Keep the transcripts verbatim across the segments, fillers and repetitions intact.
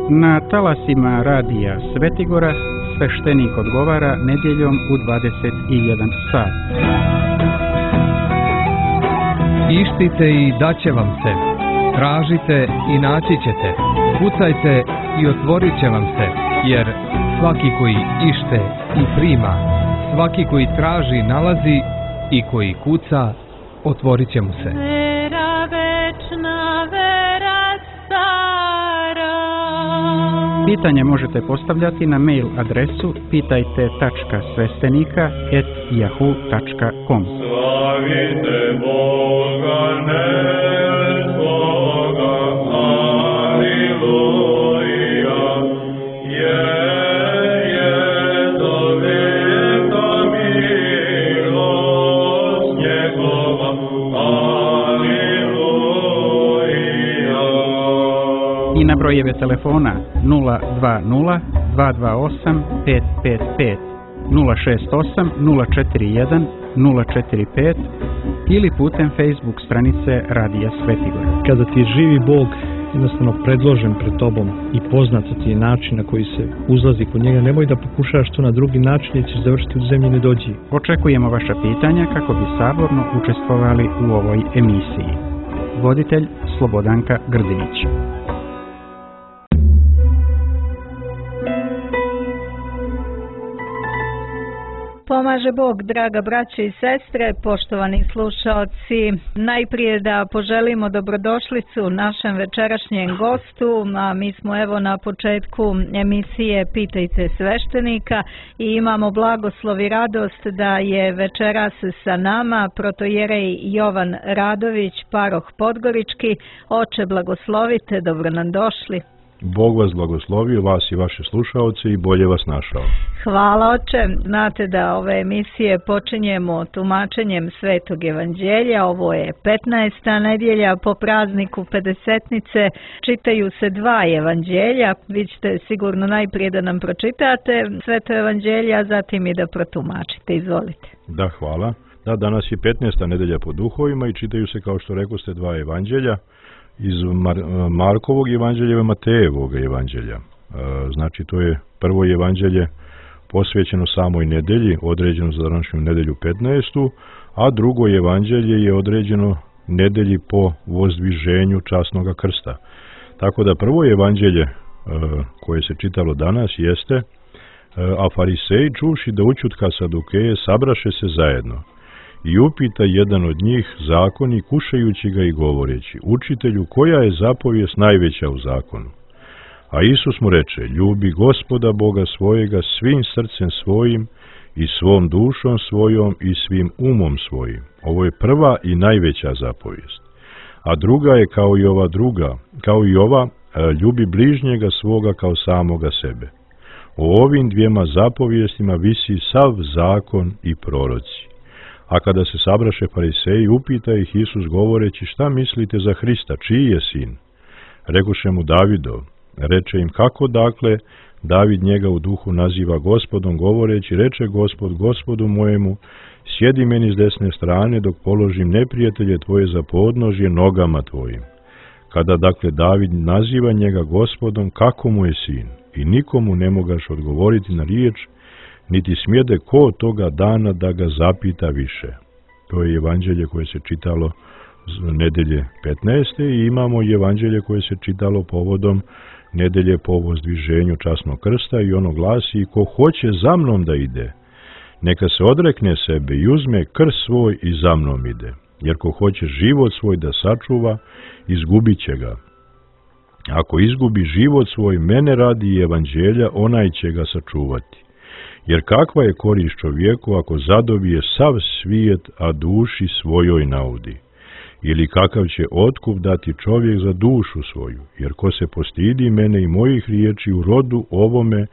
Na talasima radija Svetigora sveštenik odgovara nedjeljom u dvadeset jedan sat. Ištite i daće vam se, tražite i naći ćete, kucajte i otvorit će vam se, jer svaki koji ište i prima, svaki koji traži nalazi i koji kuca, otvorit će mu se. Vera večna, vera stara. Pitanje možete postavljati na mail adresu pitajte tačka sveštenika et yahoo tačka com. Slavite Boga nebskoga, aleluja, jer je do veka milost njegova, aleluja. I na brojeve telefona nula dva nula dva dva osam pet pet pet, nula šest osam nula četiri jedan nula četiri pet ili putem Facebook stranice Radija Svetigora. Kada ti je živi Bog jednostavno predložen pred tobom i poznat ti je način na koji se uzlazi kod njega, nemoj da pokušaš to na drugi način jer ćeš završiti u zemlji nedođi. Očekujemo vaša pitanja kako bi saborno učestvovali u ovoj emisiji. Voditelj Slobodanka Grdinić. Pomaže Bog, draga braće i sestre, poštovani slušaoci. Najprije da poželimo dobrodošlicu našem večerašnjem gostu, a mi smo evo na početku emisije Pitajte sveštenika i imamo blagoslov i radost da je večeras sa nama protojerej Jovan Radović, paroh Podgorički. Oče, blagoslovite, dobro nam došli. Bog vas blagoslovio, vas i vaše slušaoce i bolje vas našao. Hvala, oče. Znate da ove emisije počinjemo tumačenjem Svetog evanđelja. Ovo je petnaesta nedjelja po prazniku Pedesetnice. Čitaju se dva evanđelja. Vi ćete sigurno najprije da nam pročitate Sveto evanđelje, a zatim i da protumačite. Izvolite. Da, hvala. Da, danas je petnaesta nedjelja po duhovima i čitaju se, kao što rekoste, dva evanđelja. Iz Mar Markovog evanđelja i Matejevog evanđelja. E, znači, to je prvo evanđelje posvećeno samoj nedelji, određeno za današnju nedelju petnaestu, a drugo evanđelje je određeno nedelji po vozdviženju časnoga krsta. Tako da prvo evanđelje e, koje se čitalo danas jeste e, a fariseji čuši da učutka Sadukeje sabraše se zajedno. I upita jedan od njih zakon i kušajući ga i govoreći, učitelju, koja je zapovijest najveća u zakonu? A Isus mu reče, ljubi Gospoda Boga svojega svim srcem svojim i svom dušom svojom i svim umom svojim. Ovo je prva i najveća zapovijest. A druga je kao i ova druga, kao i ova, ljubi bližnjega svoga kao samoga sebe. O ovim dvijema zapovijestima visi sav zakon i proroci. A kada se sabraše fariseji, upita ih Isus govoreći, šta mislite za Hrista, čiji je sin? Rekoše mu Davidov. Reče im, kako dakle David njega u duhu naziva Gospodom, govoreći, reče Gospod Gospodu mojemu, sjedi meni s desne strane dok položim neprijatelje tvoje za podnožje nogama tvojim. Kada dakle David naziva njega Gospodom, kako mu je sin? I nikomu ne mogaš odgovoriti na riječ, niti smjede ko toga dana da ga zapita više. To je evanđelje koje se čitalo nedelje petnaeste i imamo evanđelje koje se čitalo povodom nedelje po vozdviženju časnog krsta i ono glasi, ko hoće za mnom da ide, neka se odrekne sebe i uzme krst svoj i za mnom ide. Jer ko hoće život svoj da sačuva, izgubit će ga. Ako izgubi život svoj mene radi i evanđelja, onaj će ga sačuvati. Jer kakva je korist čovjeku ako zadobije sav svijet, a duši svojoj naudi? Ili kakav će otkup dati čovjek za dušu svoju? Jer ko se postidi mene i mojih riječi u rodu ovome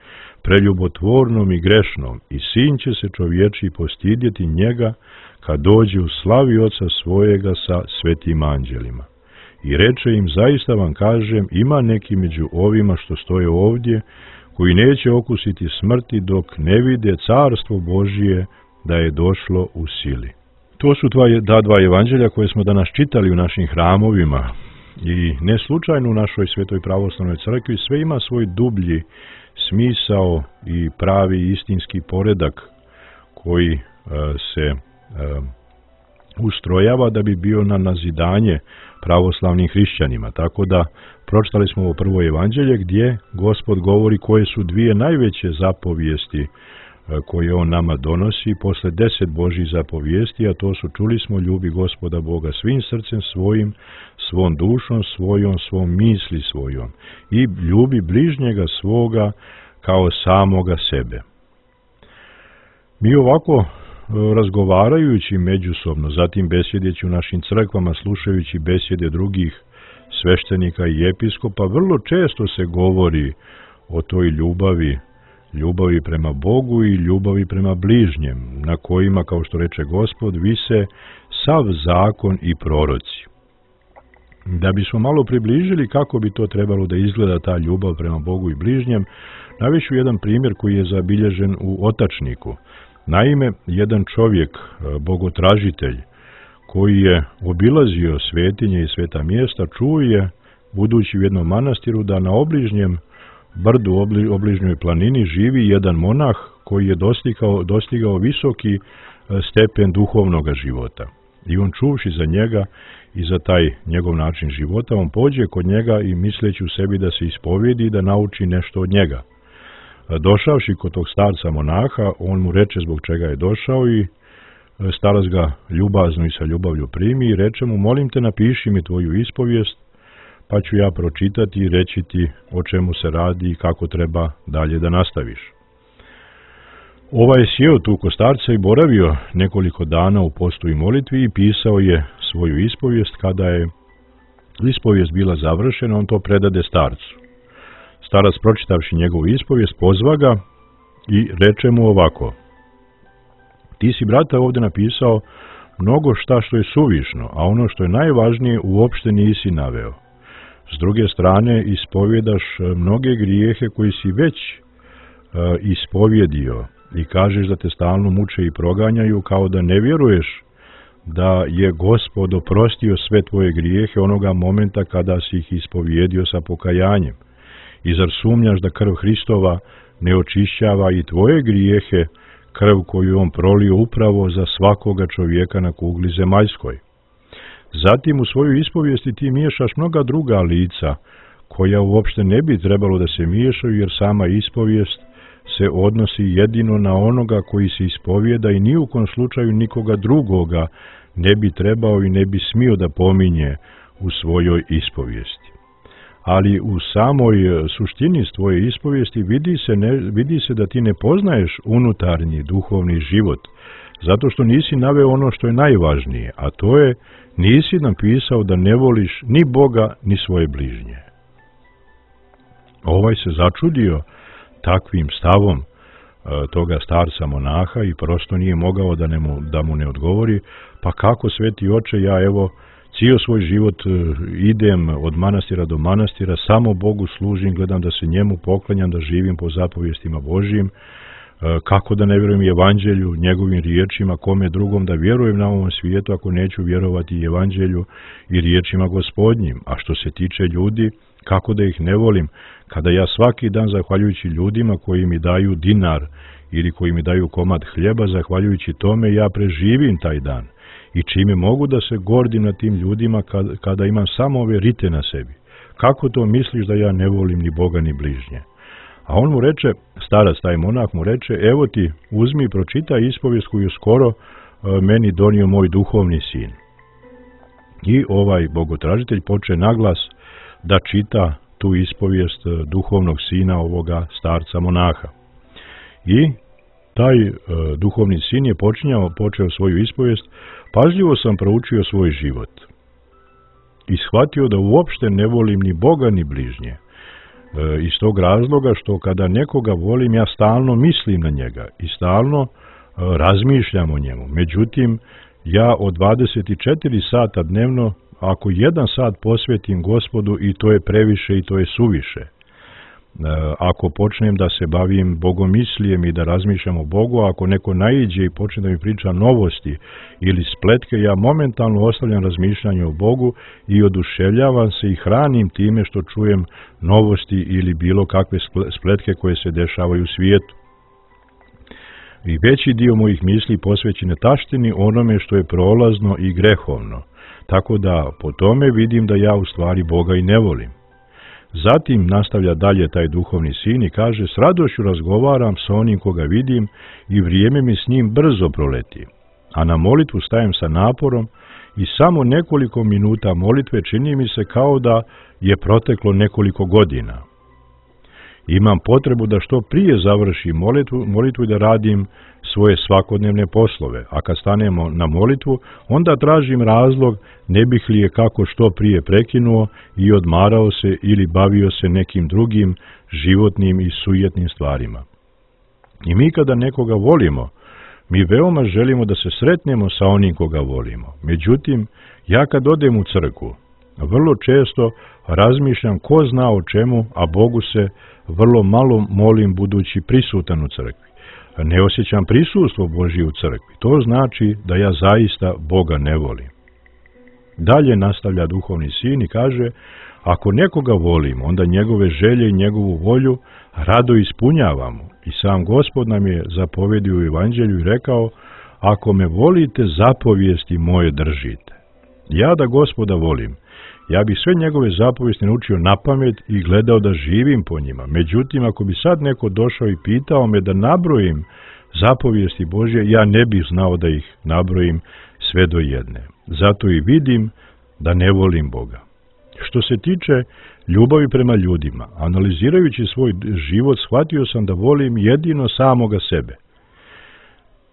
preljubotvornom i grešnom, i sin će se čovječi postidjeti njega kad dođe u slavi oca svojega sa svetim anđelima. I reče im, zaista vam kažem, ima neki među ovima što stoje ovdje, koji neće okusiti smrti dok ne vide carstvo Božije da je došlo u sili. To su dva, da dva evanđelja koje smo danas čitali u našim hramovima. I ne slučajno u našoj Svetoj pravoslavnoj crkvi sve ima svoj dublji smisao i pravi istinski poredak koji e, se e, ustrojava da bi bio na nazidanje pravoslavnim hrišćanima. Tako da pročitali smo ovo prvo evanđelje gdje Gospod govori koje su dvije najveće zapovijesti koje on nama donosi posle deset Božjih zapovijesti, a to su, čuli smo, ljubi Gospoda Boga svim srcem svojim, svom dušom svojom, svom misli svojom i ljubi bližnjega svoga kao samoga sebe. Mi ovako razgovarajući međusobno, zatim besjedeći u našim crkvama, slušajući besjede drugih sveštenika i episkopa, vrlo često se govori o toj ljubavi, ljubavi prema Bogu i ljubavi prema bližnjem, na kojima, kao što reče Gospod, vise sav zakon i proroci. Da bismo malo približili kako bi to trebalo da izgleda ta ljubav prema Bogu i bližnjem, navešću jedan primjer koji je zabilježen u Otačniku. Naime, jedan čovjek, bogotražitelj, koji je obilazio svetinje i sveta mjesta, čuo je, budući u jednom manastiru, da na obližnjem brdu, obli, obližnjoj planini živi jedan monah koji je dostigao, dostigao visoki stepen duhovnog života. I on, čuvši za njega i za taj njegov način života, on pođe kod njega i misleći u sebi da se ispovijedi i da nauči nešto od njega. Došavši kod tog starca monaha, on mu reče zbog čega je došao i starac ga ljubazno i sa ljubavlju primi i reče mu: molim te, napiši mi tvoju ispovijest, pa ću ja pročitati i reći ti o čemu se radi i kako treba dalje da nastaviš. Ovaj je sjeo tu kod starca i boravio nekoliko dana u postu i molitvi i pisao je svoju ispovijest. Kada je ispovijest bila završena, on to predade starcu. Starac, pročitavši njegovu ispovijest, pozva ga i reče mu ovako: ti si, brate, ovdje napisao mnogo šta što je suvišno, a ono što je najvažnije uopšte nisi naveo. S druge strane, ispovjedaš mnoge grijehe koji si već uh, ispovjedio i kažeš da te stalno muče i proganjaju, kao da ne vjeruješ da je Gospod oprostio sve tvoje grijehe onoga momenta kada si ih ispovjedio sa pokajanjem. I zar sumnjaš da krv Hristova ne očišćava i tvoje grijehe, krv koju on prolio upravo za svakoga čovjeka na kugli zemaljskoj? Zatim u svoju ispovijesti ti miješaš mnoga druga lica, koja uopšte ne bi trebalo da se miješaju, jer sama ispovijest se odnosi jedino na onoga koji se ispovijeda i ni u kom slučaju nikoga drugoga ne bi trebao i ne bi smio da pominje u svojoj ispovijesti. Ali u samoj suštini tvoje ispovijesti vidi se, ne, vidi se da ti ne poznaješ unutarnji duhovni život, zato što nisi naveo ono što je najvažnije, a to je nisi napisao da ne voliš ni Boga ni svoje bližnje. Ovaj se začudio takvim stavom e, toga starca monaha i prosto nije mogao da, ne mu, da mu ne odgovori: pa kako, sveti oče, ja evo cijel svoj život idem od manastira do manastira, samo Bogu služim, gledam da se njemu poklanjam, da živim po zapovijestima Božjim, kako da ne vjerujem evanđelju, njegovim riječima, kome drugom da vjerujem na ovom svijetu ako neću vjerovati evanđelju i riječima Gospodnjim. A što se tiče ljudi, kako da ih ne volim, kada ja svaki dan, zahvaljujući ljudima koji mi daju dinar ili koji mi daju komad hljeba, zahvaljujući tome ja preživim taj dan. I čime mogu da se gordim na tim ljudima kada, kada imam samo ove rite na sebi? Kako to misliš da ja ne volim ni Boga ni bližnje? A on mu reče, starac taj monah mu reče: evo ti, uzmi i pročitaj ispovijest koju skoro e, meni donio moj duhovni sin. I ovaj bogotražitelj poče naglas da čita tu ispovijest duhovnog sina ovoga starca monaha. I taj e, duhovni sin je počinjao, počeo svoju ispovijest: pažljivo sam proučio svoj život i shvatio da uopšte ne volim ni Boga ni bližnje. E, iz tog razloga što kada nekoga volim, ja stalno mislim na njega i stalno e, razmišljam o njemu. Međutim, ja od dvadeset četiri sata dnevno, ako jedan sat posvetim Gospodu, i to je previše i to je suviše. ako počnem da se bavim bogomislijem i da razmišljam o Bogu, ako neko naiđe i počne da mi priča novosti ili spletke, ja momentalno ostavljam razmišljanje o Bogu i oduševljavam se i hranim time što čujem novosti ili bilo kakve spletke koje se dešavaju u svijetu. I veći dio mojih misli posvećen je taštini, onome što je prolazno i grehovno, tako da po tome vidim da ja u stvari Boga i ne volim. Zatim nastavlja dalje taj duhovni sin i kaže, s radošću razgovaram sa onim koga vidim i vrijeme mi s njim brzo proleti, a na molitvu stajem sa naporom i samo nekoliko minuta molitve čini mi se kao da je proteklo nekoliko godina. Imam potrebu da što prije završim molitvu, molitvu i da radim svoje svakodnevne poslove, a kad stanemo na molitvu, onda tražim razlog ne bih li je kako što prije prekinuo i odmarao se ili bavio se nekim drugim životnim i sujetnim stvarima. I mi kada nekoga volimo, mi veoma želimo da se sretnemo sa onim koga volimo. Međutim, ja kad odem u crkvu, vrlo često razmišljam ko zna o čemu, a Bogu se vrlo malo molim budući prisutan u crkvi. Ne osjećam prisustvo Božje u crkvi. To znači da ja zaista Boga ne volim. Dalje nastavlja duhovni sin i kaže, ako nekoga volim, onda njegove želje i njegovu volju rado ispunjavamo. I sam Gospod nam je zapovedio u Evanđelju i rekao, ako me volite, zapovijesti moje držite. Ja da Gospoda volim, ja bih sve njegove zapovijesti naučio napamet i gledao da živim po njima. Međutim, ako bi sad neko došao i pitao me da nabrojim zapovijesti Božje, ja ne bih znao da ih nabrojim sve do jedne. Zato i vidim da ne volim Boga. Što se tiče ljubavi prema ljudima, analizirajući svoj život, shvatio sam da volim jedino samoga sebe.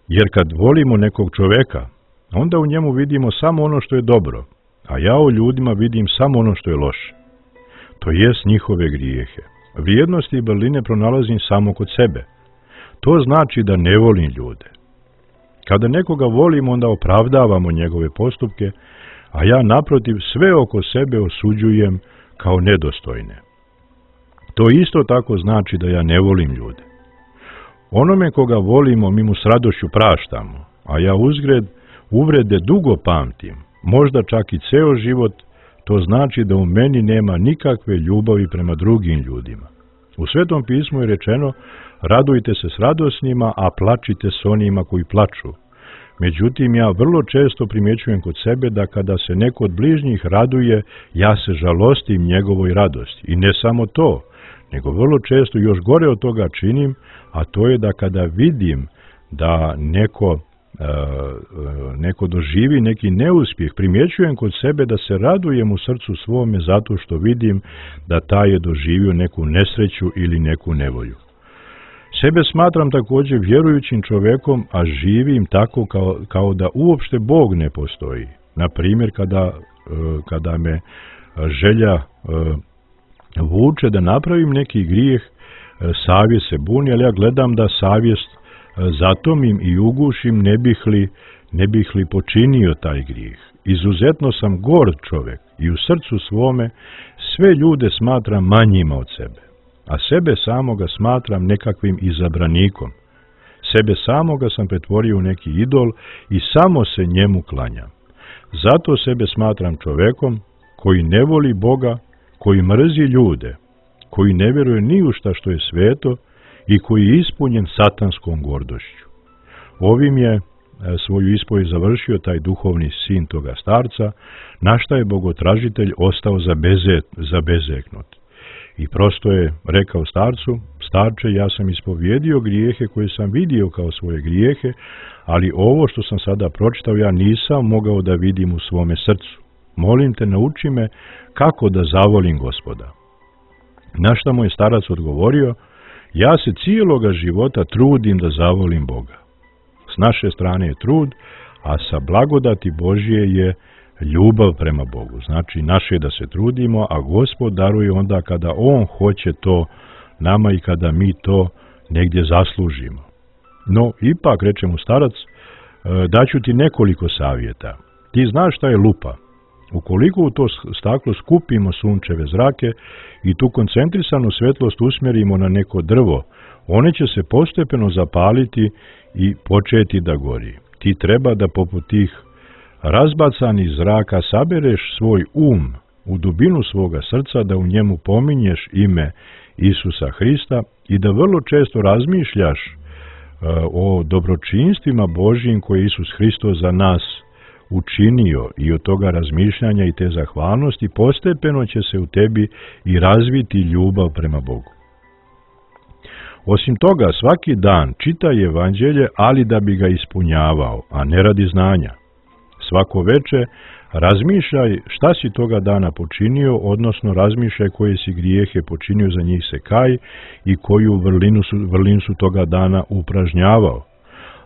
Jer kad volimo nekog čoveka, onda u njemu vidimo samo ono što je dobro, a ja u ljudima vidim samo ono što je loše. To jest njihove grijehe. Vrijednosti i vrline pronalazim samo kod sebe. To znači da ne volim ljude. Kada nekoga volim, onda opravdavamo njegove postupke, a ja naprotiv sve oko sebe osuđujem kao nedostojne. To isto tako znači da ja ne volim ljude. Onome koga volimo, mi mu s radošću praštamo, a ja uzgred uvrede dugo pamtim, možda čak i ceo život. To znači da u meni nema nikakve ljubavi prema drugim ljudima. U Svetom pismu je rečeno, radujte se s radosnima, a plačite s onima koji plaču. Međutim, ja vrlo često primjećujem kod sebe da kada se neko od bližnjih raduje, ja se žalostim njegovoj radosti. I ne samo to, nego vrlo često još gore od toga činim, a to je da kada vidim da neko, e, neko doživi neki neuspjeh, primjećujem kod sebe da se radujem u srcu svome zato što vidim da taj je doživio neku nesreću ili neku nevolju. Sebe smatram također vjerujućim čovjekom, a živim tako kao, kao da uopšte Bog ne postoji. Na primjer, kada, kada me želja vuče da napravim neki grijeh, savjest se buni, ali ja gledam da savjest zatomim i ugušim, ne bih li, ne bih li počinio taj grijeh. Izuzetno sam gord čovjek i u srcu svome sve ljude smatram manjima od sebe, a sebe samoga smatram nekakvim izabranikom. Sebe samoga sam pretvorio u neki idol i samo se njemu klanjam. Zato sebe smatram čovjekom koji ne voli Boga, koji mrzi ljude, koji ne vjeruje ni u šta što je sveto i koji je ispunjen satanskom gordošću. Ovim je svoju ispovijed završio taj duhovni sin toga starca, na šta je bogotražitelj ostao zabezeknut. I prosto je rekao starcu, starče, ja sam ispovjedio grijehe koje sam vidio kao svoje grijehe, ali ovo što sam sada pročitao ja nisam mogao da vidim u svome srcu. Molim te, nauči me kako da zavolim Gospoda. Na šta mu je starac odgovorio, ja se cijeloga života trudim da zavolim Boga. S naše strane je trud, a sa blagodati Božje je ljubav prema Bogu. Znači, naše je da se trudimo, a Gospod daruje onda kada On hoće to nama i kada mi to negdje zaslužimo. No, ipak, reče mu starac, daću ti nekoliko savjeta. Ti znaš šta je lupa. Ukoliko u to staklo skupimo sunčeve zrake i tu koncentrisanu svetlost usmjerimo na neko drvo, one će se postepeno zapaliti i početi da gori. Ti treba da poput tih razbacanih zraka sabereš svoj um u dubinu svoga srca, da u njemu pominješ ime Isusa Hrista i da vrlo često razmišljaš uh, o dobročinstvima Božjim koje Isus Hristos za nas učinio, i od toga razmišljanja i te zahvalnosti postepeno će se u tebi i razviti ljubav prema Bogu. Osim toga, svaki dan čitaj evanđelje, ali da bi ga ispunjavao, a ne radi znanja. Svako veče razmišljaj šta si toga dana počinio, odnosno razmišljaj koje si grijehe počinio, za njih se kaj, i koju vrlinu su, vrlinu su toga dana upražnjavao.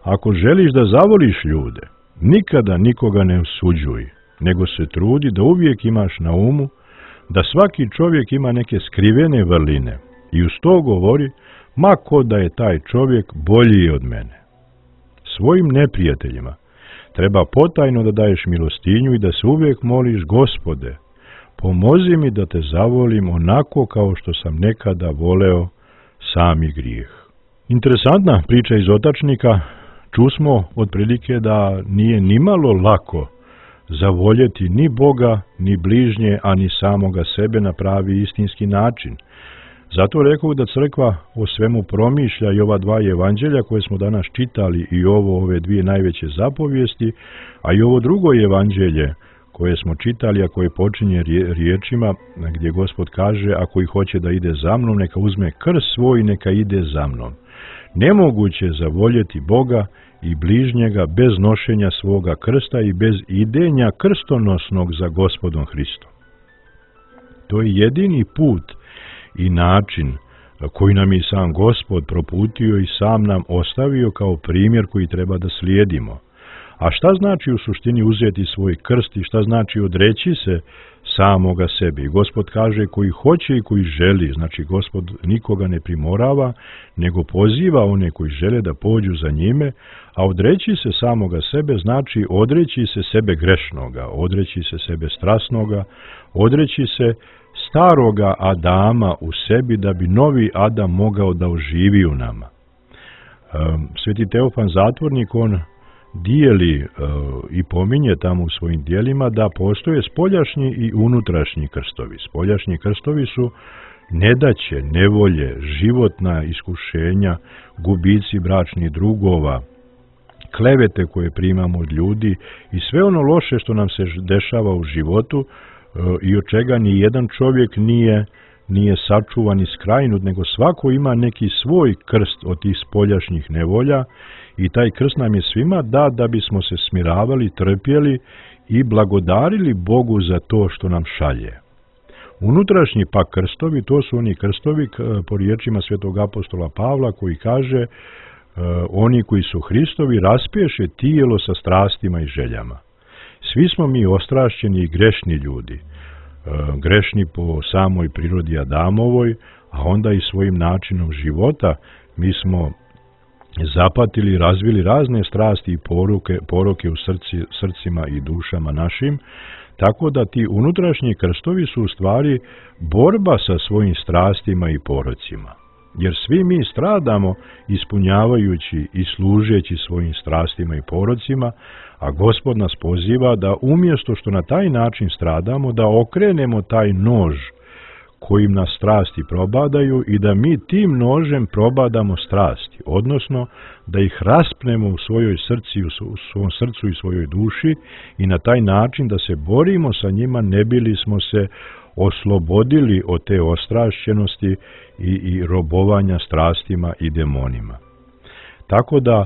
Ako želiš da zavoliš ljude, nikada nikoga ne osuđuj, nego se trudi da uvijek imaš na umu da svaki čovjek ima neke skrivene vrline i uz to govori, ma ko da je taj čovjek bolji od mene. Svojim neprijateljima treba potajno da daješ milostinju i da se uvijek moliš, Gospode, pomozi mi da te zavolim onako kao što sam nekada voleo sami grijeh. Interesantna priča iz Otačnika. Čusmo otprilike da nije nimalo lako zavoljeti ni Boga, ni bližnje, a ni samoga sebe na pravi istinski način. Zato rekao da crkva o svemu promišlja i ova dva evanđelja koje smo danas čitali i ovo ove dvije najveće zapovijesti, a i ovo drugo evanđelje koje smo čitali, a koje počinje riječima gdje Gospod kaže, ako i hoće da ide za mnom, neka uzme krst svoj, neka ide za mnom. Nemoguće je zavoljeti Boga i bližnjega bez nošenja svoga krsta i bez idenja krstonosnog za Gospodom Hristom. To je jedini put i način koji nam je sam Gospod proputio i sam nam ostavio kao primjer koji treba da slijedimo. A šta znači u suštini uzeti svoj krst i šta znači odreći se samoga sebi? Gospod kaže koji hoće i koji želi, znači Gospod nikoga ne primorava, nego poziva one koji žele da pođu za njime, a odreći se samoga sebe znači odreći se sebe grešnoga, odreći se sebe strasnoga, odreći se staroga Adama u sebi da bi novi Adam mogao da oživi u nama. Sveti Teofan Zatvornik, on dijeli uh, i pominje tamo u svojim dijelima da postoje spoljašnji i unutrašnji krstovi. Spoljašnji krstovi su nedaće, nevolje, životna iskušenja, gubici bračnih drugova, klevete koje primamo od ljudi i sve ono loše što nam se dešava u životu uh, i od čega ni jedan čovjek nije, nije sačuvan i skrajnut, nego svako ima neki svoj krst od tih spoljašnjih nevolja. I taj krst nam je svima da, da bismo se smiravali, trpjeli i blagodarili Bogu za to što nam šalje. Unutrašnji pak krstovi, to su oni krstovi po riječima svetog apostola Pavla koji kaže oni koji su Hristovi raspješe tijelo sa strastima i željama. Svi smo mi ostrašćeni i grešni ljudi, grešni po samoj prirodi Adamovoj, a onda i svojim načinom života mi smo zapatili, razvili razne strasti i poruke, poroke u srci, srcima i dušama našim, tako da ti unutrašnji krstovi su u stvari borba sa svojim strastima i porocima. Jer svi mi stradamo ispunjavajući i služeći svojim strastima i porocima, a Gospod nas poziva da umjesto što na taj način stradamo, da okrenemo taj nož kojim nas strasti probadaju i da mi tim nožem probadamo strasti, odnosno da ih raspnemo u svojoj srci, u svom srcu i svojoj duši i na taj način da se borimo sa njima, ne bili smo se oslobodili od te ostrašćenosti i, i robovanja strastima i demonima. Tako da, e,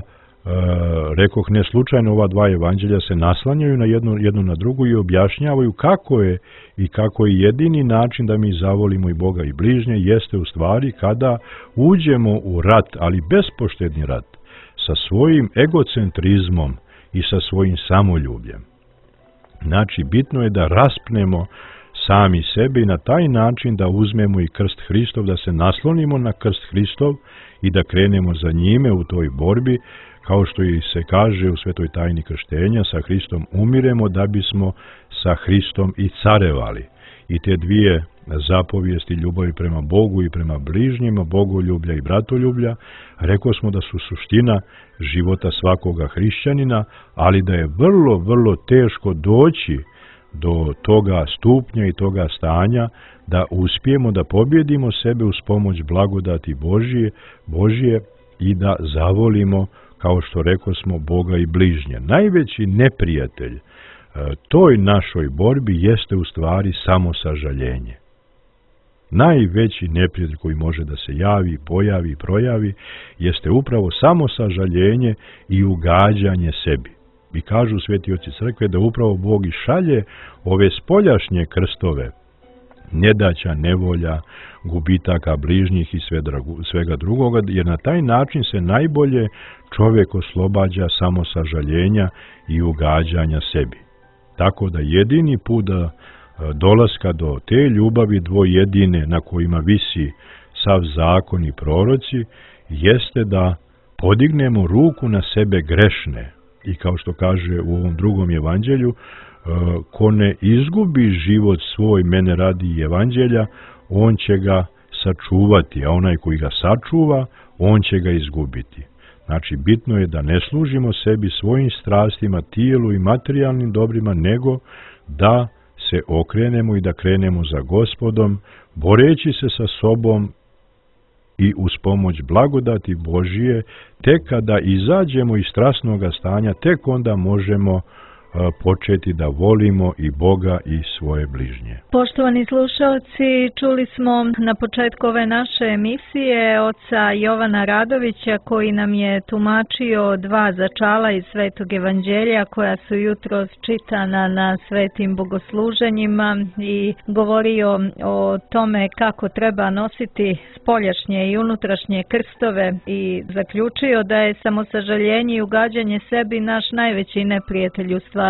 rekoh, ne slučajno ova dva evanđelja se naslanjaju na jednu, jednu na drugu i objašnjavaju kako je i kako je jedini način da mi zavolimo i Boga i bližnje, jeste u stvari kada uđemo u rat, ali bespoštedni rat, sa svojim egocentrizmom i sa svojim samoljubljem. Znači, bitno je da raspnemo sami sebe i na taj način da uzmemo i krst Hristov, da se naslonimo na krst Hristov i da krenemo za njime u toj borbi, kao što i se kaže u svetoj tajni krštenja, sa Hristom umiremo da bismo sa Hristom i carevali. I te dvije zapovijesti ljubavi prema Bogu i prema bližnjima, bogoljublja i bratoljublja, rekao smo da su suština života svakoga hrišćanina, ali da je vrlo, vrlo teško doći do toga stupnja i toga stanja da uspijemo da pobjedimo sebe uz pomoć blagodati Božije, Božije i da zavolimo, kao što rekao smo, Boga i bližnje. Najveći neprijatelj toj našoj borbi jeste u stvari samo sažaljenje. Najveći neprijatelj koji može da se javi, pojavi, projavi, jeste upravo samo sažaljenje i ugađanje sebi. I kažu sveti oci crkve da upravo Bog i šalje ove spoljašnje krstove, nedaća, nevolja, gubitaka bližnjih i svega drugoga, jer na taj način se najbolje čovjek oslobađa samo sažaljenja i ugađanja sebi. Tako da jedini put da dolaska do te ljubavi dvojedine na kojima visi sav zakon i proroci, jeste da podignemo ruku na sebe grešne. I kao što kaže u ovom drugom evanđelju, ko ne izgubi život svoj mene radi evanđelja, on će ga sačuvati, a onaj koji ga sačuva, on će ga izgubiti. Znači, bitno je da ne služimo sebi svojim strastima, tijelu i materijalnim dobrima, nego da se okrenemo i da krenemo za Gospodom, boreći se sa sobom i uz pomoć blagodati Božije, tek kada izađemo iz strasnoga stanja, tek onda možemo početi da volimo i Boga i svoje bližnje. Poštovani slušalci, čuli smo na početku ove naše emisije oca Jovana Radovića koji nam je tumačio dva začala iz Svetog evanđelja koja su jutros čitana na svetim bogosluženjima i govorio o tome kako treba nositi spoljašnje i unutrašnje krstove i zaključio da je samosažaljenje i ugađanje sebi naš najveći neprijatelj u stvari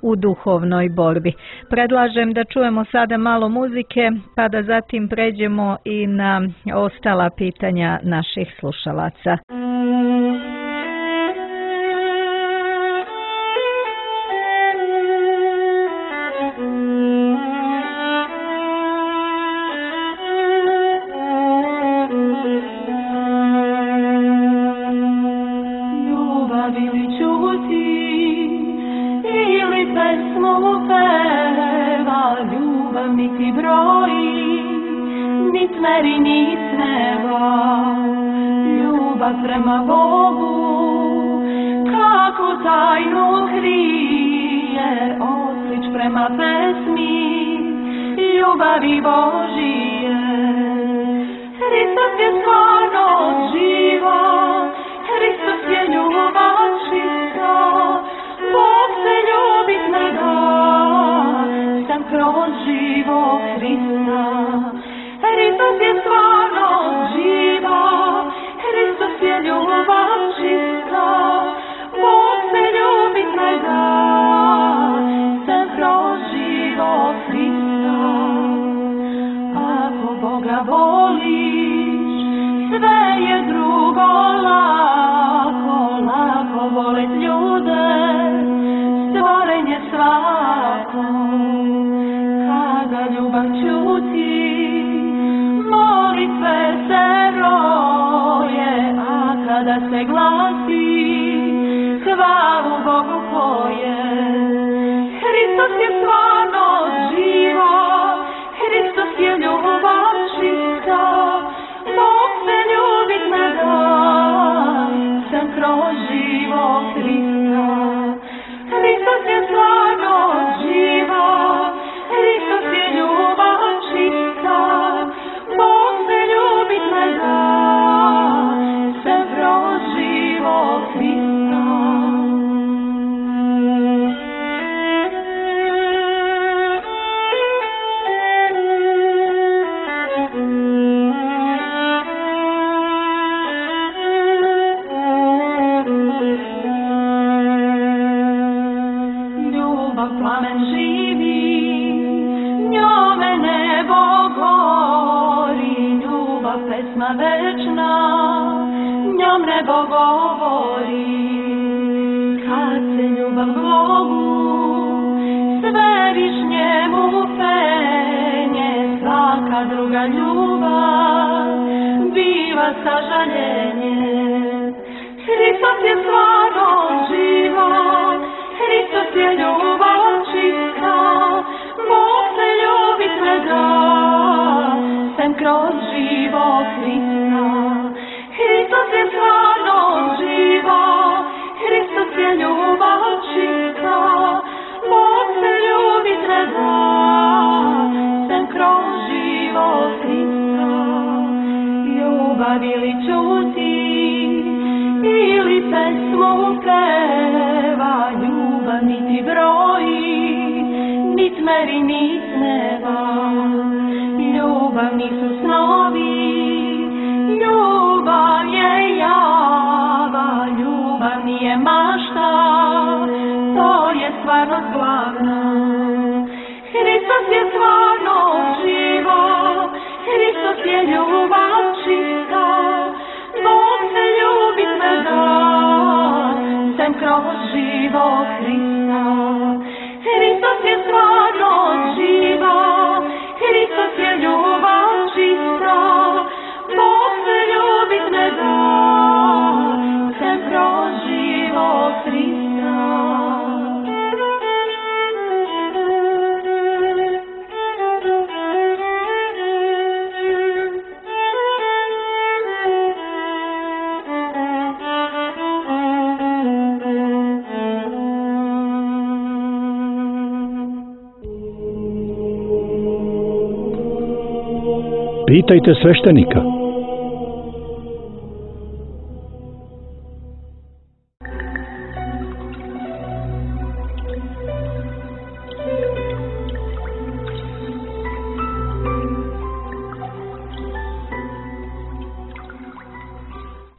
u duhovnoj borbi. Predlažem da čujemo sada malo muzike, pa da zatim pređemo i na ostala pitanja naših slušalaca. Prema Bogu, kako tajno krije, oslič prema pesmi, ljubavi Božije. Hristos je stvarno živo, Hristos je ljubav čista, Bog se ljubit ne da, sam kroz živo Hrista. Hristos je stvarno živo, Hristos je ljubav čista, Bog se ljubit ne da, sam kroz život Hrista. Ako Boga voliš, sve je drugo lako, lako volit ljude, stvorenje svako. Kada ljubav čuti, molitve se roje, a kada se glasi, hvalu Bogu poje. Hristos je stvarno živo, Hristos je ljubav čista, Bog se ljubit ne da, sam kroz život Hrista. Hristos je stvarno živo, Hristos je ljubav čista, Bog se ljubit ne da, sam kroz život Hrista. Ljubav plamen živi, njome nebo gori, ljubav pesma večna, njome nam nebo govori, kad se ljubav Bogu svevišnjemu penje, svaka druga ljubav biva sažaljenje. Hristos je stvarno život, Hristos je ljubav čista, Bog se ljubit ne da, sem kroz život Hrista. Hristos je stvarno život, Hristos je ljubav čista, Bog se ljubit ne da, sem kroz život Hrista. Ljubav ili čuti, ili pesmu peva, ljubav niti broji, nit meri, nit neba. Ljubav nisu snovi, ljubav je java, ljubav nije mašta, to je stvarnost glavna. Hristos je stvarno život, Hristos je ljubav čista, Bog se ljubit ne da, sem kroz život Hrista. Hristos je stvarno život, Hristos je ljubav čista, Bog se ljubit ne da, sem kroz život Hrista. Pitajte sveštenika.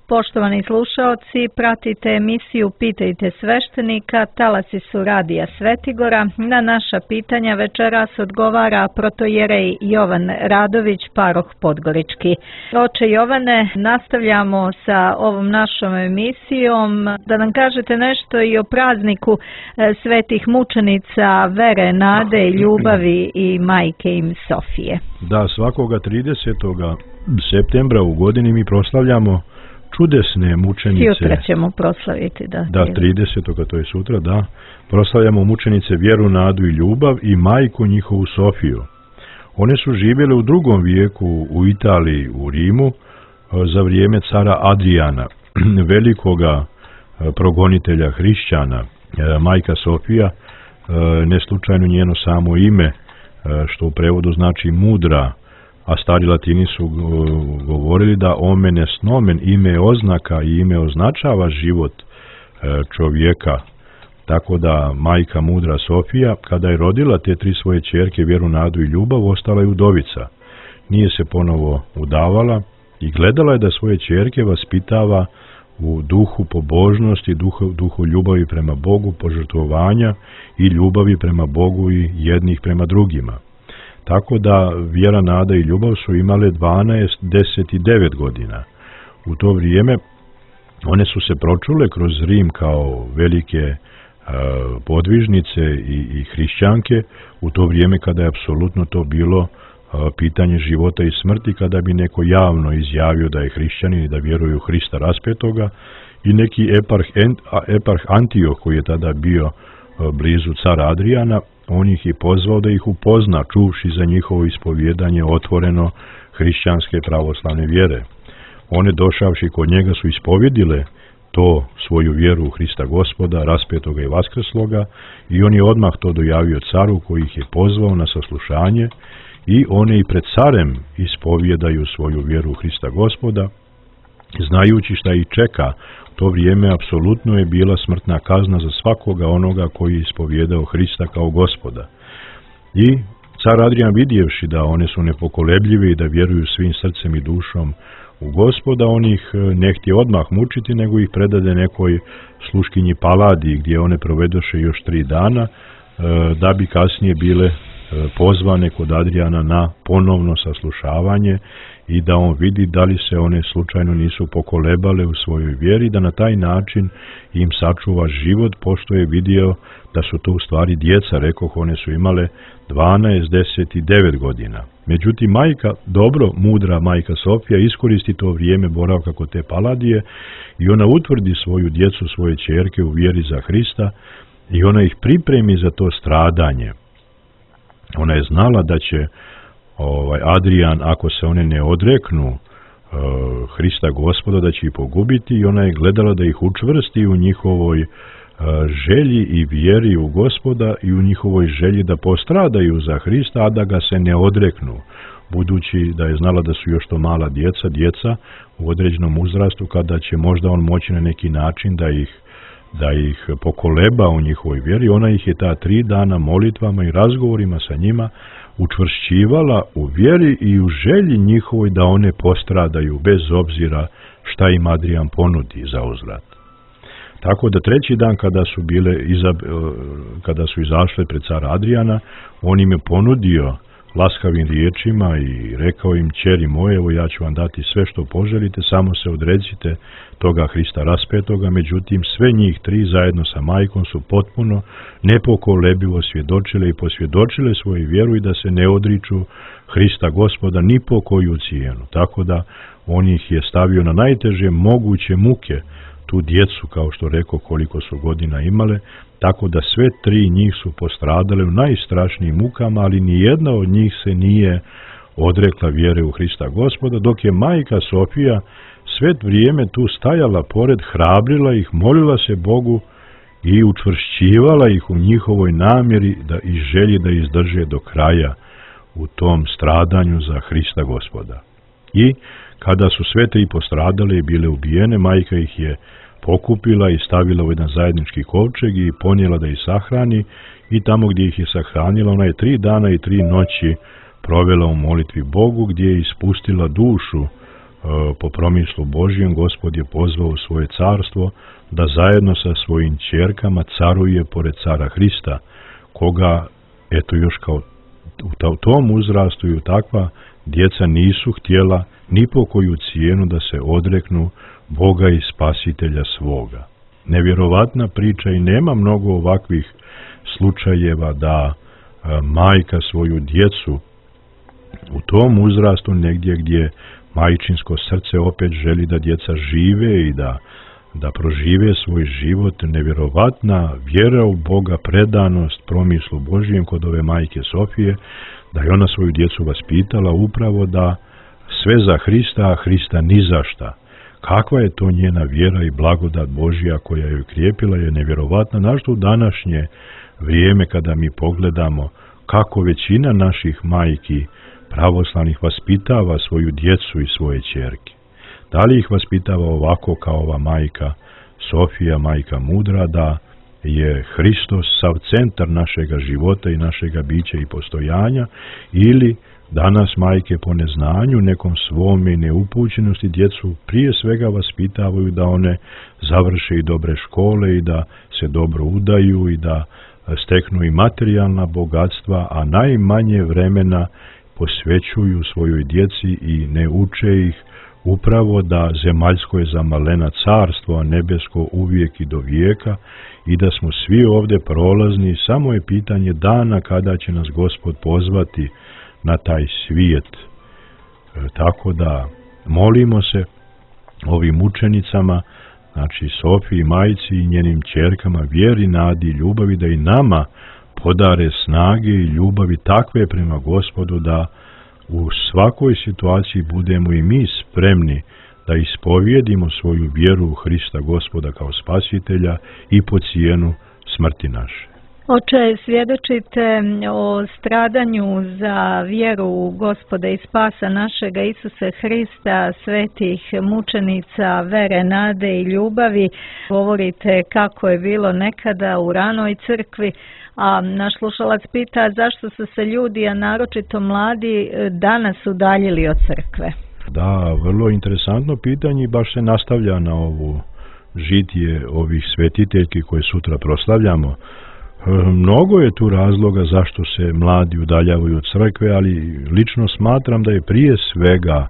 Poštovani slušaoci, pratite emisiju Pitajte sveštenika, talasi su radija Svetigora. Na naša pitanja večeras odgovara protojerej Jovan Radović, paroh Podgorički. Oče Jovane, nastavljamo sa ovom našom emisijom. Da nam kažete nešto i o prazniku svetih mučenica vere, nade i ljubavi i majke im Sofije. Da, svakoga tridesetog septembra u godini mi proslavljamo čudesne mučenice. Jutra ćemo proslaviti, da. Da, tridesetog to je sutra, da. Proslavljamo mučenice vjeru, nadu i ljubav i majku njihovu Sofiju. One su živjele u drugom vijeku u Italiji, u Rimu, za vrijeme cara Adriana, velikoga progonitelja hrišćana. Majka Sofija, ne slučajno njeno samo ime, što u prevodu znači mudra, a stari Latini su govorili da omen est nomen, ime oznaka i ime označava život čovjeka. Tako da majka mudra Sofija, kada je rodila te tri svoje ćerke, vjeru, nadu i ljubav, ostala je udovica. Nije se ponovo udavala i gledala je da svoje ćerke vaspitava u duhu pobožnosti, duhu, duhu ljubavi prema Bogu, požrtvovanja i ljubavi prema Bogu i jednih prema drugima. Tako da vjera, nada i ljubav su imale dvanaest, deset i devet godina. U to vrijeme one su se pročule kroz Rim kao velike e, podvižnice i, i hrišćanke, u to vrijeme kada je apsolutno to bilo e, pitanje života i smrti, kada bi neko javno izjavio da je hrišćanin i da vjeruje u Hrista raspetoga, i neki eparh, eparh Antioh, koji je tada bio e, blizu cara Adriana, on ih je pozvao da ih upozna, čuvši za njihovo ispovjedanje otvoreno hrišćanske pravoslavne vjere. One, došavši kod njega, su ispovjedile to svoju vjeru u Hrista Gospoda, raspetoga i vaskrsloga, i on je odmah to dojavio caru, koji ih je pozvao na saslušanje, i one i pred carem ispovjedaju svoju vjeru u Hrista Gospoda, znajući šta ih čeka. To vrijeme apsolutno je bila smrtna kazna za svakoga onoga koji je ispovjedao Hrista kao Gospoda. I car Adrian, vidjevši da one su nepokolebljive i da vjeruju svim srcem i dušom u Gospoda, on ih ne htje odmah mučiti, nego ih predade nekoj sluškinji Paladi, gdje one provedoše još tri dana, da bi kasnije bile pozvane kod Adrijana na ponovno saslušavanje i da on vidi da li se one slučajno nisu pokolebale u svojoj vjeri, da na taj način im sačuva život, pošto je vidio da su to u stvari djeca, rekoh, one su imale dvanaest, deset i devet godina. Međutim, majka, dobro, mudra majka Sofija, iskoristi to vrijeme boravka kod te Paladije i ona utvrdi svoju djecu, svoje ćerke u vjeri za Hrista i ona ih pripremi za to stradanje. Ona je znala da će ovaj, Adrijan, ako se one ne odreknu uh, Hrista Gospoda, da će ih pogubiti i ona je gledala da ih učvrsti u njihovoj želji i vjeri u Gospoda i u njihovoj želji da postradaju za Hrista, a da ga se ne odreknu, budući da je znala da su još to mala djeca, djeca u određenom uzrastu, kada će možda on moći na neki način da ih, da ih pokoleba u njihovoj vjeri. Ona ih je ta tri dana molitvama i razgovorima sa njima učvršćivala u vjeri i u želji njihovoj da one postradaju bez obzira šta im Adrijan ponudi za uzvrat. Tako da treći dan kada su bile iza, kada su izašle pred cara Adrijana, on im je ponudio laskavim riječima i rekao im: ćeri moje, evo ja ću vam dati sve što poželite, samo se odrecite toga Hrista raspetoga. Međutim, sve njih tri zajedno sa majkom su potpuno nepokolebivo svjedočile i posvjedočile svoju vjeru i da se ne odriču Hrista Gospoda ni po koju cijenu. Tako da on ih je stavio na najteže moguće muke, tu djecu, kao što rekao, koliko su godina imale, tako da sve tri njih su postradale u najstrašnijim mukama, ali ni jedna od njih se nije odrekla vjere u Hrista Gospoda, dok je majka Sofija sve vrijeme tu stajala pored, hrabrila ih, molila se Bogu i učvršćivala ih u njihovoj namjeri da i želji da izdrže do kraja u tom stradanju za Hrista Gospoda. I kada su sve tri postradale i bile ubijene, majka ih je pokupila i stavila u jedan zajednički kovčeg i ponijela da ih sahrani, i tamo gdje ih je sahranila, ona je tri dana i tri noći provela u molitvi Bogu, gdje je ispustila dušu e, po promislu Božjem. Gospod je pozvao u svoje carstvo da zajedno sa svojim ćerkama caruje pored cara Hrista, koga, eto, još kao u tom uzrastu i u takva djeca nisu htjela ni po koju cijenu da se odreknu Boga i Spasitelja svoga. Nevjerovatna priča i nema mnogo ovakvih slučajeva da a, majka svoju djecu u tom uzrastu, negdje gdje majčinsko srce opet želi da djeca žive i da, da prožive svoj život, nevjerovatna vjera u Boga, predanost promislu Božjem kod ove majke Sofije, da je ona svoju djecu vaspitala upravo da sve za Hrista, a Hrista ni za šta. Kakva je to njena vjera i blagodat Božja koja je krijepila, je nevjerovatna, našto u današnje vrijeme kada mi pogledamo kako većina naših majki pravoslavnih vaspitava svoju djecu i svoje ćerke. Da li ih vaspitava ovako kao ova majka Sofija, majka mudra, da je Hristos sav centar našega života i našega bića i postojanja, ili danas majke po neznanju, nekom svome neupućenosti djecu prije svega vaspitavaju da one završe i dobre škole i da se dobro udaju i da steknu i materijalna bogatstva, a najmanje vremena posvećuju svojoj djeci i ne uče ih upravo da zemaljsko je za malena carstvo, a nebesko uvijek i do vijeka, i da smo svi ovdje prolazni, samo je pitanje dana kada će nas Gospod pozvati na taj svijet. E, tako da molimo se ovim učenicama, znači Sofiji, majci i njenim ćerkama, vjeri, nadi i ljubavi, da i nama podare snage i ljubavi takve prema Gospodu da u svakoj situaciji budemo i mi spremni da ispovijedimo svoju vjeru u Hrista Gospoda kao Spasitelja i po cijenu smrti naše. Oče, svjedočite o stradanju za vjeru u Gospoda i Spasa našega Isuse Hrista, svetih mučenica vere, nade i ljubavi. Govorite kako je bilo nekada u ranoj crkvi, a naš slušalac pita zašto su se ljudi, a naročito mladi, danas udaljili od crkve. Da, vrlo interesantno pitanje i baš se nastavlja na ovu žitije ovih svetiteljki koje sutra proslavljamo. Mnogo je tu razloga zašto se mladi udaljavaju od crkve, ali lično smatram da je prije svega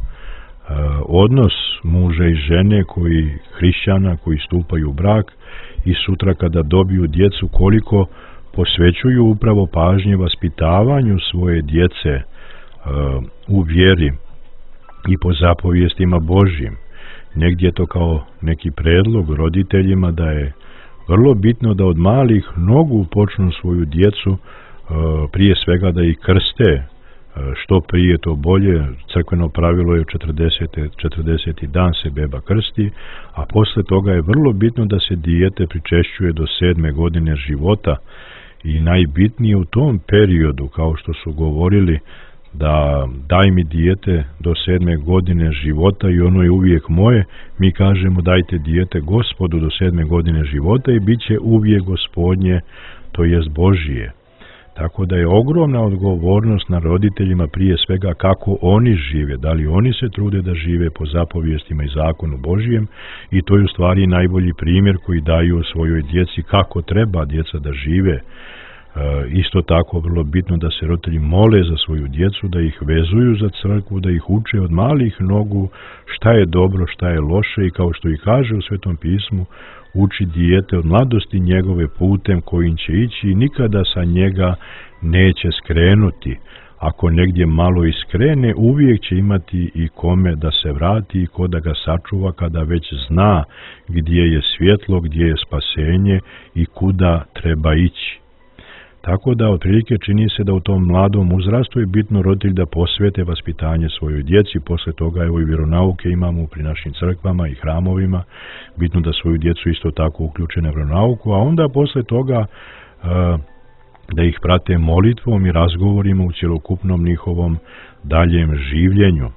odnos muža i žene koji hrišćana koji stupaju u brak i sutra kada dobiju djecu koliko posvećuju upravo pažnje vaspitavanju svoje djece u vjeri i po zapovijestima Božjim. Negdje je to kao neki predlog roditeljima da je vrlo bitno da od malih nogu počnu svoju djecu, prije svega da ih krste, što prije to bolje. Crkveno pravilo je četrdeseti dan se beba krsti, a posle toga je vrlo bitno da se dijete pričešćuje do sedme godine života i najbitnije u tom periodu, kao što su govorili, da daj mi dijete do sedme godine života i ono je uvijek moje, mi kažemo dajte dijete Gospodu do sedme godine života i bit će uvijek Gospodnje, to jest Božije. Tako da je ogromna odgovornost na roditeljima prije svega kako oni žive, da li oni se trude da žive po zapovijestima i zakonu Božijem, i to je u stvari najbolji primjer koji daju svojoj djeci kako treba djeca da žive. E, isto tako vrlo bitno da se roditelji mole za svoju djecu, da ih vezuju za crkvu, da ih uče od malih nogu šta je dobro, šta je loše, i kao što i kaže u Svetom pismu, uči dijete od mladosti njegove putem kojim će ići i nikada sa njega neće skrenuti. Ako negdje malo iskrene, uvijek će imati i kome da se vrati i ko da ga sačuva kada već zna gdje je svjetlo, gdje je spasenje i kuda treba ići. Tako da otprilike čini se da u tom mladom uzrastu je bitno roditelj da posvete vaspitanje svojoj djeci. Posle toga evo i vjeronauke imamo pri našim crkvama i hramovima. Bitno da svoju djecu isto tako uključe na vjeronauku, a onda posle toga uh, da ih prate molitvom i razgovorima u cjelokupnom njihovom daljem življenju. Uh,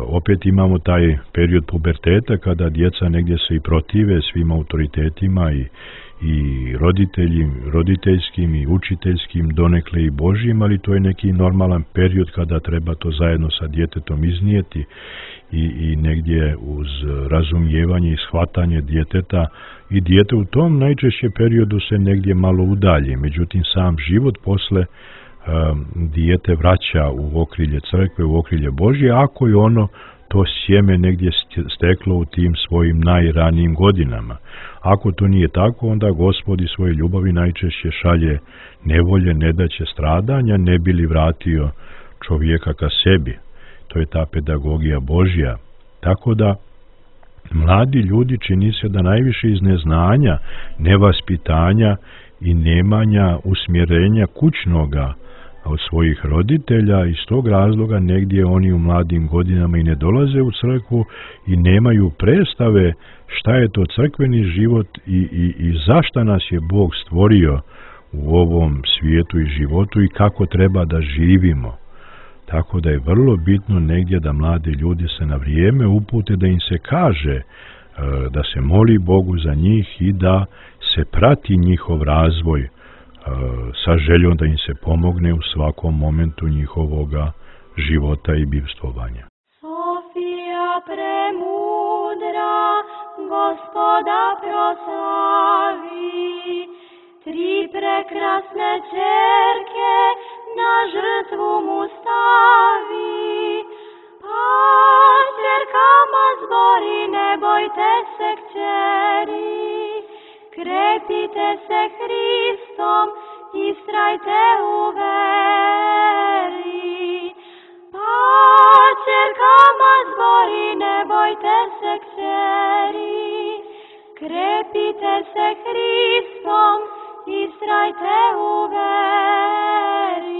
opet imamo taj period puberteta kada djeca negdje se i protive svim autoritetima i i roditelji, roditeljskim i učiteljskim, donekle i Božjim, ali to je neki normalan period kada treba to zajedno sa djetetom iznijeti i, i negdje uz razumijevanje i shvatanje djeteta, i dijete u tom najčešće periodu se negdje malo udalji. Međutim, sam život posle um, dijete vraća u okrilje crkve, u okrilje Božje, ako je ono to sjeme negdje steklo u tim svojim najranijim godinama. Ako to nije tako, onda Gospod iz svoje ljubavi najčešće šalje nevolje, nedaće, stradanja, ne bi li vratio čovjeka ka sebi. To je ta pedagogija Božja. Tako da mladi ljudi čini se da najviše iz neznanja, nevaspitanja i nemanja usmjerenja kućnoga od svojih roditelja, iz tog razloga negdje oni u mladim godinama i ne dolaze u crkvu i nemaju predstave šta je to crkveni život i, i, i zašta nas je Bog stvorio u ovom svijetu i životu i kako treba da živimo. Tako da je vrlo bitno negdje da mladi ljudi se na vrijeme upute, da im se kaže da se moli Bogu za njih i da se prati njihov razvoj sa željom da im se pomogne u svakom momentu njihovoga života i bivstvovanja. Sofija premudra, Gospoda proslavi, tri prekrasne ćerke na žrtvu mu stavi. Pa ćerkama zbori, ne bojte se kćeri, krepite se Hristom, istrajte u veri. Pa ćerkama zbori, ne bojte se kćeri, krepite se Hristom, istrajte u veri.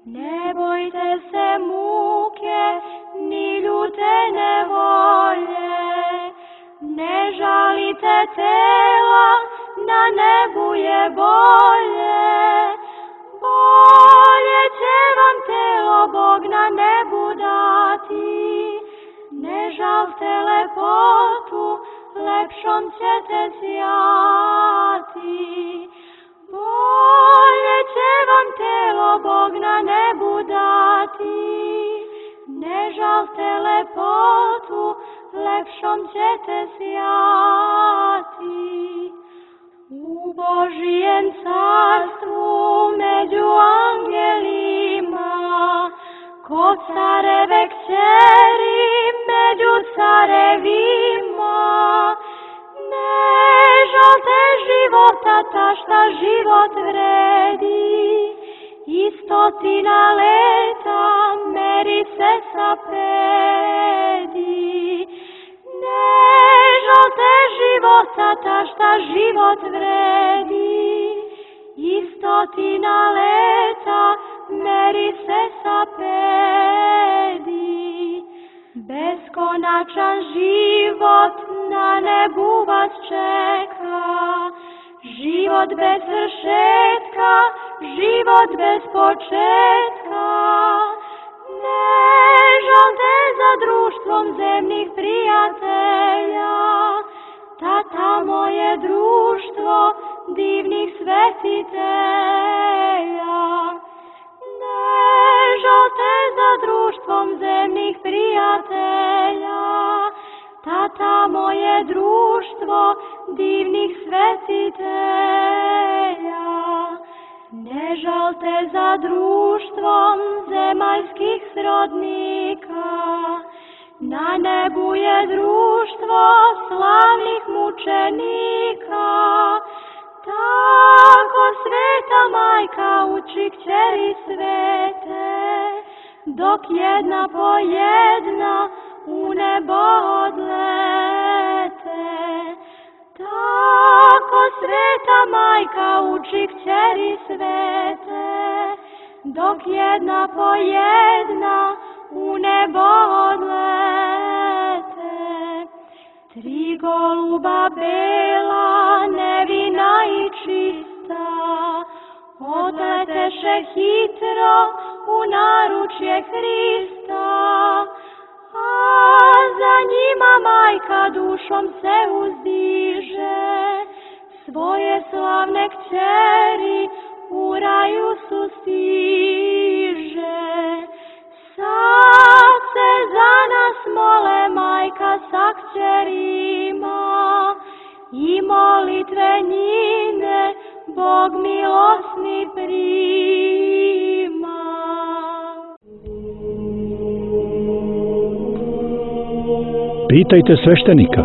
Ne bojte se muke, ni ljute nevolje, ne žalite tela, na nebu je bolje. Bolje će vam telo Bog na nebu dati, ne žalte lepotu, lepšom ćete sjati. Bolje će vam telo Bog na nebu dati, ne žalte lepotu, lepšom ćete sjati. U Božijem carstvu među angelima, ko careve kćeri među carevima, ne žalte života ta šta život vredi, i stotina leta meri se sapredi. Ne žalte života ta šta život vredi, i stotina leta meri se sapredi. Beskonačan život na nebu vas čeka, život bez svršetka, život bez početka. Ne žalte za društvom zemnih prijatelja, ta tamo je društvo divnih svetitelja. Ne žalte za društvom zemnih prijatelja, ta tamo je društvo divnih svetitelja. Ne žalte za društvom zemaljskih srodnika, na nebu je društvo slavnih mučenika. Tako sveta majka uči kćeri svete, dok jedna po jedna u nebo odlete. Tako sveta majka uči kćeri svete, dok jedna po jedna u nebo odlete. Tri goluba bela, nevina i čista, odleteše hitro u naručje Hrista, a za njima majka dušom se uzdiže, svoje slavne kćeri u raju sustiže. Sad se za nas mole majka sa kćerima, i molitve njine Bog milosni prima. Pitajte sveštenika.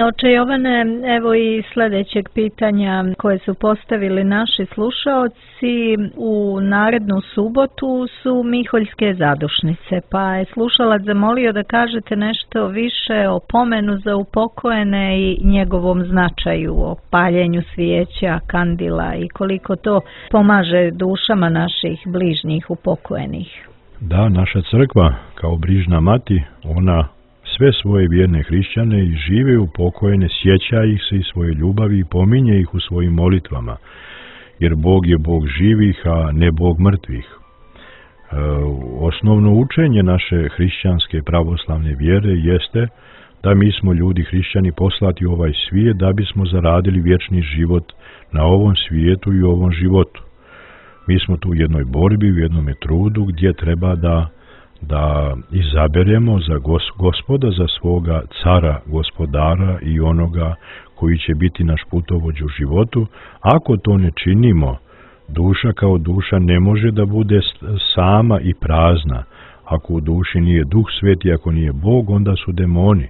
Oče Jovane, evo i sljedećeg pitanja koje su postavili naši slušaoci. U narednu subotu su Miholjske zadušnice, pa je slušalac zamolio da kažete nešto više o pomenu za upokojene i njegovom značaju, o paljenju svijeća, kandila i koliko to pomaže dušama naših bližnjih upokojenih. Da, naša crkva kao brižna mati, ona sve svoje vjerne hrišćane i žive upokojene, sjeća ih se i svoje ljubavi i pominje ih u svojim molitvama, jer Bog je Bog živih, a ne Bog mrtvih. E, osnovno učenje naše hrišćanske pravoslavne vjere jeste da mi smo ljudi hrišćani poslati u ovaj svijet da bismo zaradili vječni život na ovom svijetu i ovom životu. Mi smo tu u jednoj borbi, u jednom trudu gdje treba da da izaberemo za gos, gospoda, za svoga cara, gospodara i onoga koji će biti naš putovođ u životu. Ako to ne činimo, duša kao duša ne može da bude sama i prazna. Ako u duši nije Duh Sveti, ako nije Bog, onda su demoni.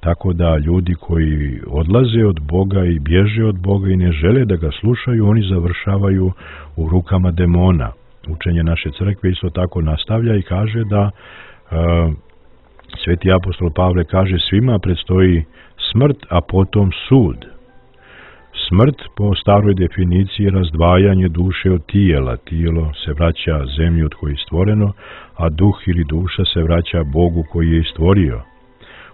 Tako da ljudi koji odlaze od Boga i bježe od Boga i ne žele da ga slušaju, oni završavaju u rukama demona. Učenje naše crkve isto tako nastavlja i kaže da e, sveti apostol Pavle kaže svima predstoji smrt, a potom sud. Smrt po staroj definiciji je razdvajanje duše od tijela. Tijelo se vraća zemlji od koje je stvoreno, a duh ili duša se vraća Bogu koji je stvorio.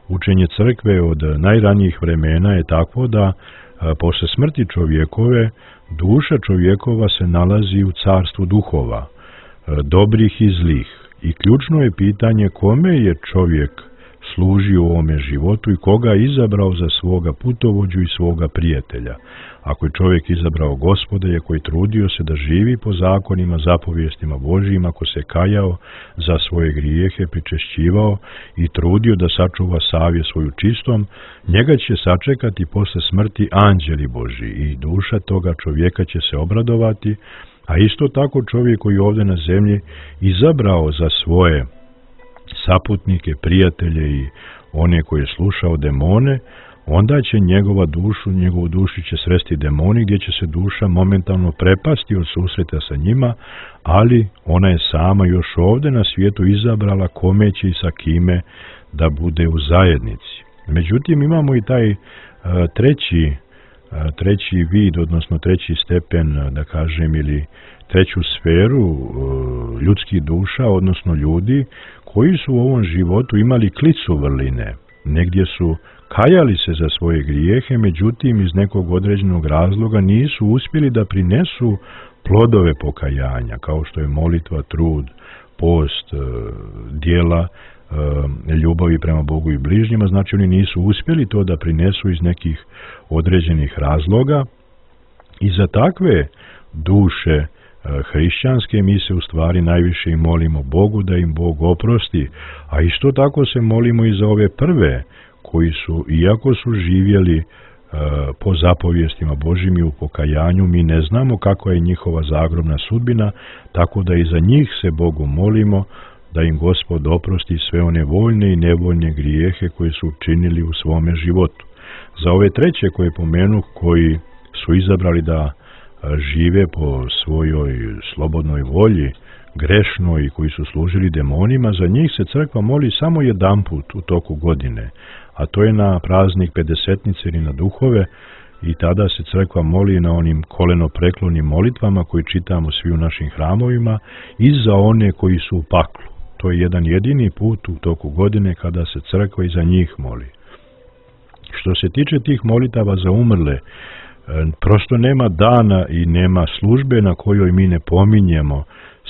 Učenje crkve od najranijih vremena je takvo da a, posle smrti čovjekove duša čovjekova se nalazi u carstvu duhova, dobrih i zlih. I ključno je pitanje kome je čovjek služio u ovome životu i koga je izabrao za svoga putovođu i svoga prijatelja. Ako je čovjek izabrao Gospoda i ako je trudio se da živi po zakonima, zapovijestima Božijim, ako se kajao za svoje grijehe, pričešćivao i trudio da sačuva savjest svoju čistom, njega će sačekati posle smrti anđeli Božji i duša toga čovjeka će se obradovati, a isto tako čovjek koji je ovdje na zemlji izabrao za svoje saputnike, prijatelje i one koje je slušao demone, onda će njegova dušu, njegovu dušu će sresti demoni, gdje će se duša momentalno prepasti od susreta sa njima, ali ona je sama još ovdje na svijetu izabrala kome će i sa kime da bude u zajednici. Međutim, imamo i taj uh, treći, uh, treći vid, odnosno treći stepen, da kažem, ili treću sferu uh, ljudskih duša, odnosno ljudi koji su u ovom životu imali klicu vrline. Negdje su kajali se za svoje grijehe, međutim iz nekog određenog razloga nisu uspjeli da prinesu plodove pokajanja, kao što je molitva, trud, post, djela, ljubavi prema Bogu i bližnjima. Znači oni nisu uspjeli to da prinesu iz nekih određenih razloga i za takve duše hrišćanske mi se u stvari najviše i molimo Bogu da im Bog oprosti, a isto tako se molimo i za ove prve koji su, iako su živjeli uh, po zapovijestima Božjim i u pokajanju, mi ne znamo kakva je njihova zagrobna sudbina, tako da i za njih se Bogu molimo da im Gospod oprosti sve one voljne i nevoljne grijehe koje su učinili u svome životu. Za ove treće koje pomenu, koji su izabrali da žive po svojoj slobodnoj volji, grešno i koji su služili demonima, za njih se crkva moli samo jedanput u toku godine, a to je na praznik Pedesetnice ili na duhove, i tada se crkva moli na onim kolenopreklonim molitvama koji čitamo svi u našim hramovima i za one koji su u paklu. To je jedan jedini put u toku godine kada se crkva i za njih moli. Što se tiče tih molitava za umrle, prosto nema dana i nema službe na kojoj mi ne pominjemo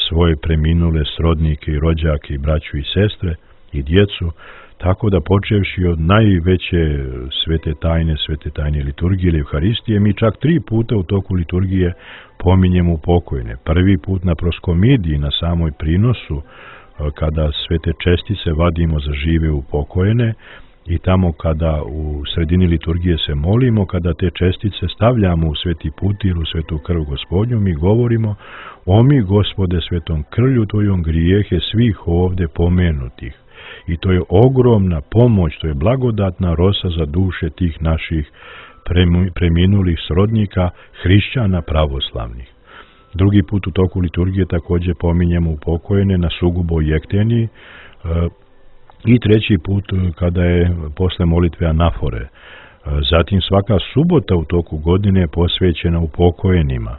svoje preminule srodnike i rođake i braću i sestre i djecu, tako da počevši od najveće svete tajne, svete tajne liturgije ili Euharistije, mi čak tri puta u toku liturgije pominjemo upokojene. Prvi put na proskomidiji, na samoj prinosu, kada svete čestice vadimo za žive upokojene, i tamo kada u sredini liturgije se molimo, kada te čestice stavljamo u sveti putir, u svetu krv Gospodnju, mi govorimo: o mi, Gospode, svetom krvlju tvojom grijehe svih ovdje pomenutih. I to je ogromna pomoć, to je blagodatna rosa za duše tih naših preminulih srodnika, hrišćana pravoslavnih. Drugi put u toku liturgije također pominjemo upokojene na Sugubo i Ekteniji, i treći put kada je posle molitve anafore. Zatim svaka subota u toku godine je posvećena upokojenima.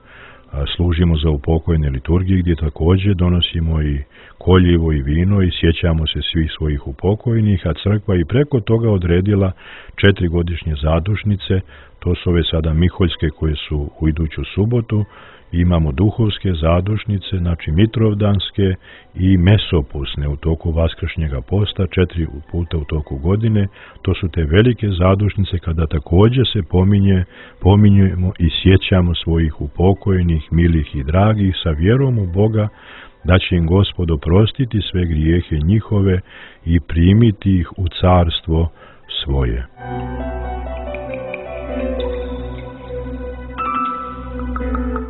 Služimo za upokojene liturgije gdje također donosimo i koljivo i vino i sjećamo se svih svojih upokojenih, a crkva i preko toga odredila četiri godišnje zadušnice. To su ove sada miholjske koje su u iduću subotu. Imamo duhovske zadušnice, znači mitrovdanske i mesopusne u toku vaskršnjega posta, četiri puta u toku godine. To su te velike zadušnice kada također se pominje, pominjujemo i sjećamo svojih upokojenih, milih i dragih sa vjerom u Boga, da će im Gospod oprostiti sve grijehe njihove i primiti ih u carstvo svoje.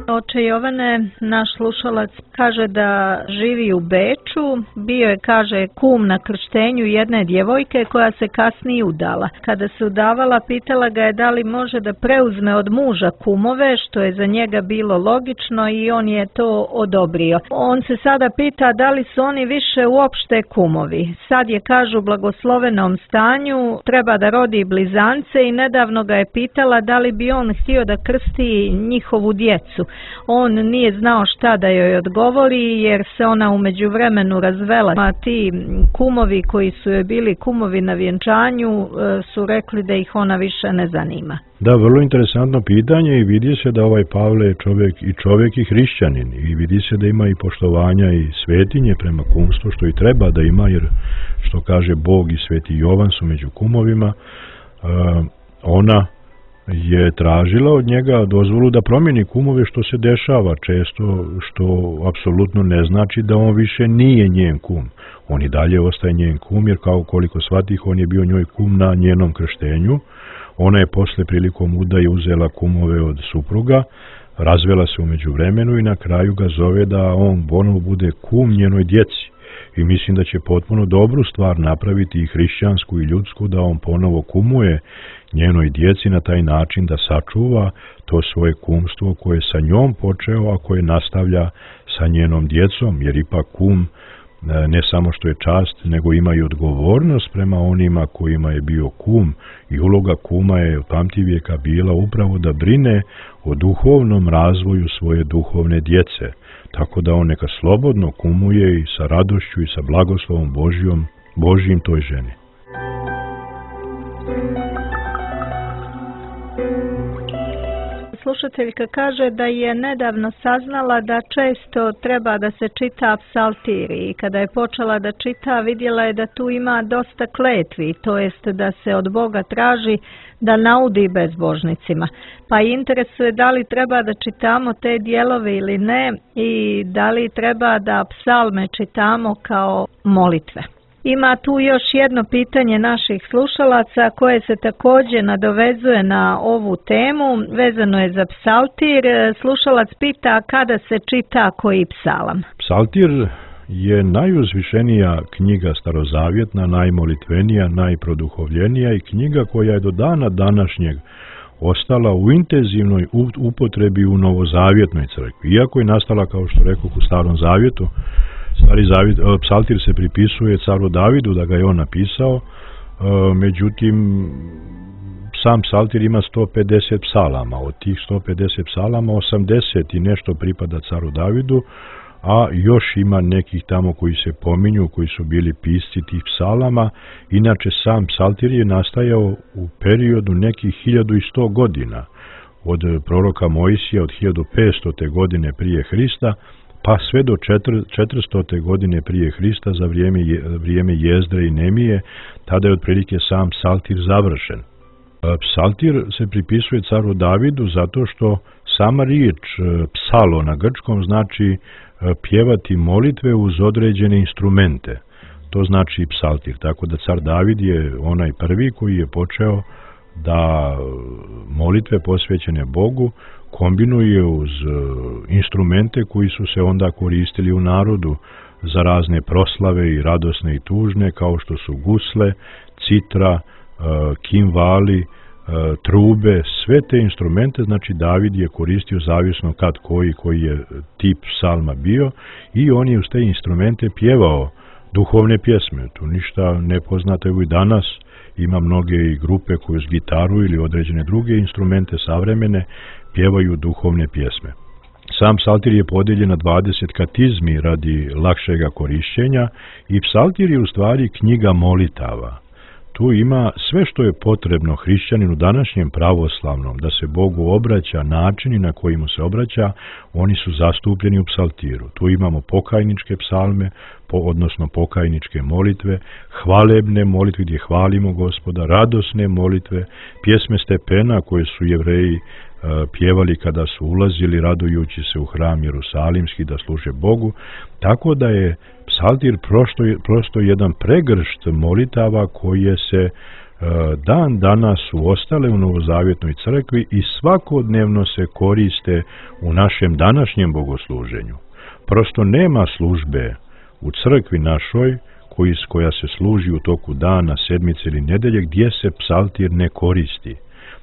Oče Jovane, naš slušalac kaže da živi u Beču, bio je, kaže, kum na krštenju jedne djevojke koja se kasnije udala. Kada se udavala, pitala ga je da li može da preuzme od muža kumove, što je za njega bilo logično, i on je to odobrio. On se sada pita da li su oni više uopšte kumovi. Sad je, kažu, u blagoslovenom stanju, treba da rodi blizance i nedavno ga je pitala da li bi on htio da krsti njihovu djecu. on nije znao šta da joj odgovori jer se ona u međuvremenu razvela. A ti kumovi koji su joj bili kumovi na vjenčanju su rekli da ih ona više ne zanima. Da, vrlo interesantno pitanje i vidi se da ovaj Pavle je čovjek i čovjek i hrišćanin i vidi se da ima i poštovanja i svetinje prema kumstvu, što i treba da ima, jer što kaže Bog i sveti Jovan su među kumovima. Uh, ona je tražila od njega dozvolu da promijeni kumove, što se dešava često, što apsolutno ne znači da on više nije njen kum. On i dalje ostaje njen kum, jer kao koliko shvatih, on je bio njoj kum na njenom krštenju. Ona je posle prilikom udaje uzela kumove od supruga, razvela se u međuvremenu i na kraju ga zove da on ponovo bude kum njenoj djeci. I mislim da će potpuno dobru stvar napraviti i hrišćansku i ljudsku, da on ponovo kumuje njenoj djeci na taj način da sačuva to svoje kumstvo koje je sa njom počeo, a koje nastavlja sa njenom djecom, jer ipak kum ne samo što je čast, nego ima i odgovornost prema onima kojima je bio kum, i uloga kuma je od pamtivijeka bila upravo da brine o duhovnom razvoju svoje duhovne djece, tako da on neka slobodno kumuje i sa radošću i sa blagoslovom Božjom, Božjim toj ženi. Slušateljka kaže da je nedavno saznala da često treba da se čita psaltir i kada je počela da čita vidjela je da tu ima dosta kletvi, to jest da se od Boga traži da naudi bezbožnicima. Pa interesuje da li treba da čitamo te dijelove ili ne i da li treba da psalme čitamo kao molitve. Ima tu još jedno pitanje naših slušalaca koje se također nadovezuje na ovu temu, vezano je za psaltir. Slušalac pita kada se čita koji psalam. Psaltir je najuzvišenija knjiga starozavjetna, najmolitvenija, najproduhovljenija i knjiga koja je do dana današnjeg ostala u intenzivnoj upotrebi u novozavjetnoj crkvi. Iako je nastala, kao što rekao, u starom zavjetu, Stari zavjet, psaltir se pripisuje caru Davidu da ga je on napisao, međutim sam psaltir ima sto pedeset psalama, od tih sto pedeset psalama osamdeset i nešto pripada caru Davidu, a još ima nekih tamo koji se pominju, koji su bili pisci tih psalama. Inače sam psaltir je nastajao u periodu nekih hiljadu i sto godina, od proroka Mojsija od hiljadu petsto. godine prije Hrista, pa sve do četiristo. godine prije Hrista, za vrijeme, vrijeme Jezdre i Nemije, tada je otprilike sam psaltir završen. Psaltir se pripisuje caru Davidu zato što sama riječ psalo na grčkom znači pjevati molitve uz određene instrumente. To znači psaltir, tako da car David je onaj prvi koji je počeo da molitve posvećene Bogu kombinuje uz instrumente koji su se onda koristili u narodu za razne proslave i radosne i tužne, kao što su gusle, citra, kimvali, trube, sve te instrumente, znači David je koristio zavisno kad koji, koji je tip psalma bio, i on je uz te instrumente pjevao duhovne pjesme. Tu ništa nepoznato je i danas. Ima mnoge i grupe koje uz gitaru ili određene druge instrumente savremene pjevaju duhovne pjesme. Sam psaltir je podijeljen na dvadeset katizmi radi lakšega korišćenja i psaltir je u stvari knjiga molitava. Tu ima sve što je potrebno hrišćaninu današnjem pravoslavnom da se Bogu obraća, načini na koji mu se obraća, oni su zastupljeni u psaltiru. Tu imamo pokajničke psalme, po, odnosno pokajničke molitve, hvalebne molitve gdje hvalimo Gospoda, radosne molitve, pjesme stepena koje su Jevreji uh, pjevali kada su ulazili radujući se u hram Jerusalimski da služe Bogu, tako da je psaltir prosto, prosto jedan pregršt molitava koje se uh, dan danas su ostale u novozavjetnoj crkvi i svakodnevno se koriste u našem današnjem bogosluženju. Prosto nema službe u crkvi našoj koji, koja se služi u toku dana, sedmice ili nedelje gdje se psaltir ne koristi.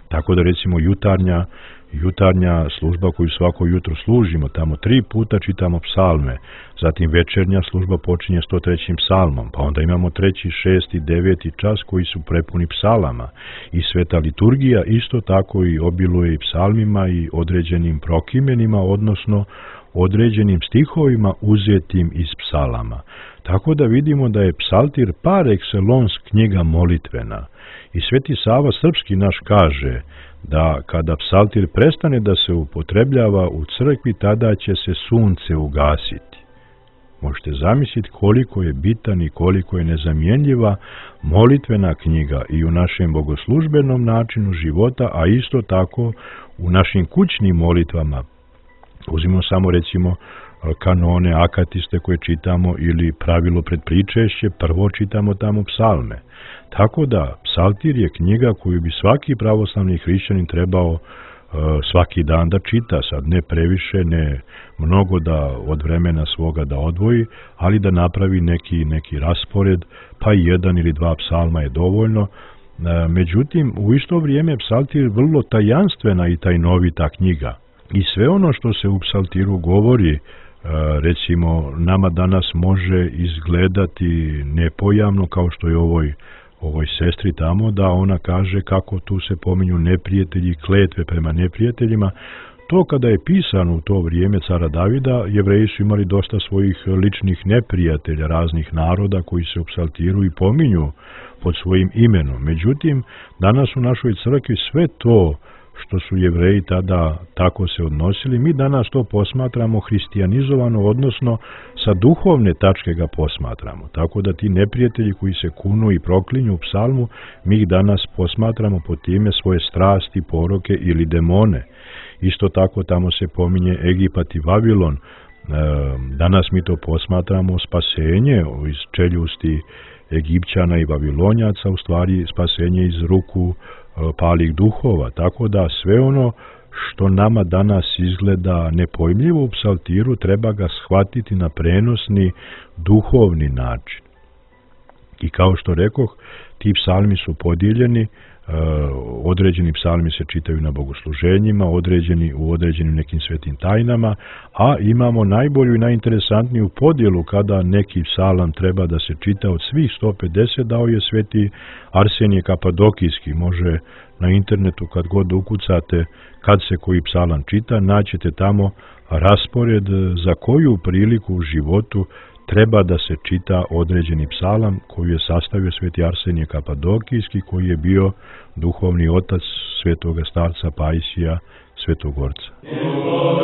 Tako da recimo jutarnja, jutarnja služba koju svako jutro služimo, tamo tri puta čitamo psalme, zatim večernja služba počinje sto trećim psalmom, pa onda imamo treći, šesti, deveti čas koji su prepuni psalama i sveta liturgija isto tako i obiluje i psalmima i određenim prokimenima, odnosno određenim stihovima uzetim iz psalama. Tako da vidimo da je psaltir par excellence knjiga molitvena. I Sveti Sava Srpski naš kaže da kada psaltir prestane da se upotrebljava u crkvi, tada će se sunce ugasiti. Možete zamisliti koliko je bitan i koliko je nezamjenljiva molitvena knjiga i u našem bogoslužbenom načinu života, a isto tako u našim kućnim molitvama. Uzmimo samo recimo kanone, akatiste koje čitamo ili pravilo pred pričešće, prvo čitamo tamo psalme. Tako da psaltir je knjiga koju bi svaki pravoslavni hrišćanin trebao uh, svaki dan da čita, sad ne previše, ne mnogo da od vremena svoga da odvoji, ali da napravi neki, neki raspored, pa jedan ili dva psalma je dovoljno. Uh, međutim, u isto vrijeme psaltir je vrlo tajanstvena i tajnovita knjiga. I sve ono što se u psaltiru govori, recimo, nama danas može izgledati nepojamno, kao što je ovoj, ovoj sestri tamo, da ona kaže kako tu se pominju neprijatelji, kletve prema neprijateljima. To kada je pisano u to vrijeme cara Davida, Jevreji su imali dosta svojih ličnih neprijatelja, raznih naroda koji se u psaltiru i pominju pod svojim imenom. Međutim, danas u našoj crkvi sve to što su Jevreji tada tako se odnosili, mi danas to posmatramo hristijanizovano, odnosno sa duhovne tačke ga posmatramo. Tako da ti neprijatelji koji se kunu i proklinju u psalmu, mi ih danas posmatramo po time svoje strasti, poroke ili demone. Isto tako tamo se pominje Egipat i Vavilon. Danas mi to posmatramo spasenje iz čeljusti Egipćana i Vavilonjaca, u stvari spasenje iz ruku palih duhova, tako da sve ono što nama danas izgleda nepojmljivo u psaltiru treba ga shvatiti na prenosni duhovni način. I kao što rekoh, ti psalmi su podijeljeni, određeni psalmi se čitaju na bogosluženjima, određeni u određenim nekim svetim tajnama, a imamo najbolju i najinteresantniju podjelu kada neki psalam treba da se čita od svih sto pedeset, dao je sveti Arsenije Kapadokijski. Može na internetu kad god ukucate kad se koji psalam čita, naćete tamo raspored za koju priliku u životu treba da se čita određeni psalam koji je sastavio sveti Arsenije Kapadokijski, koji je bio duhovni otac svetoga starca Pajsija Svetogorca. Oh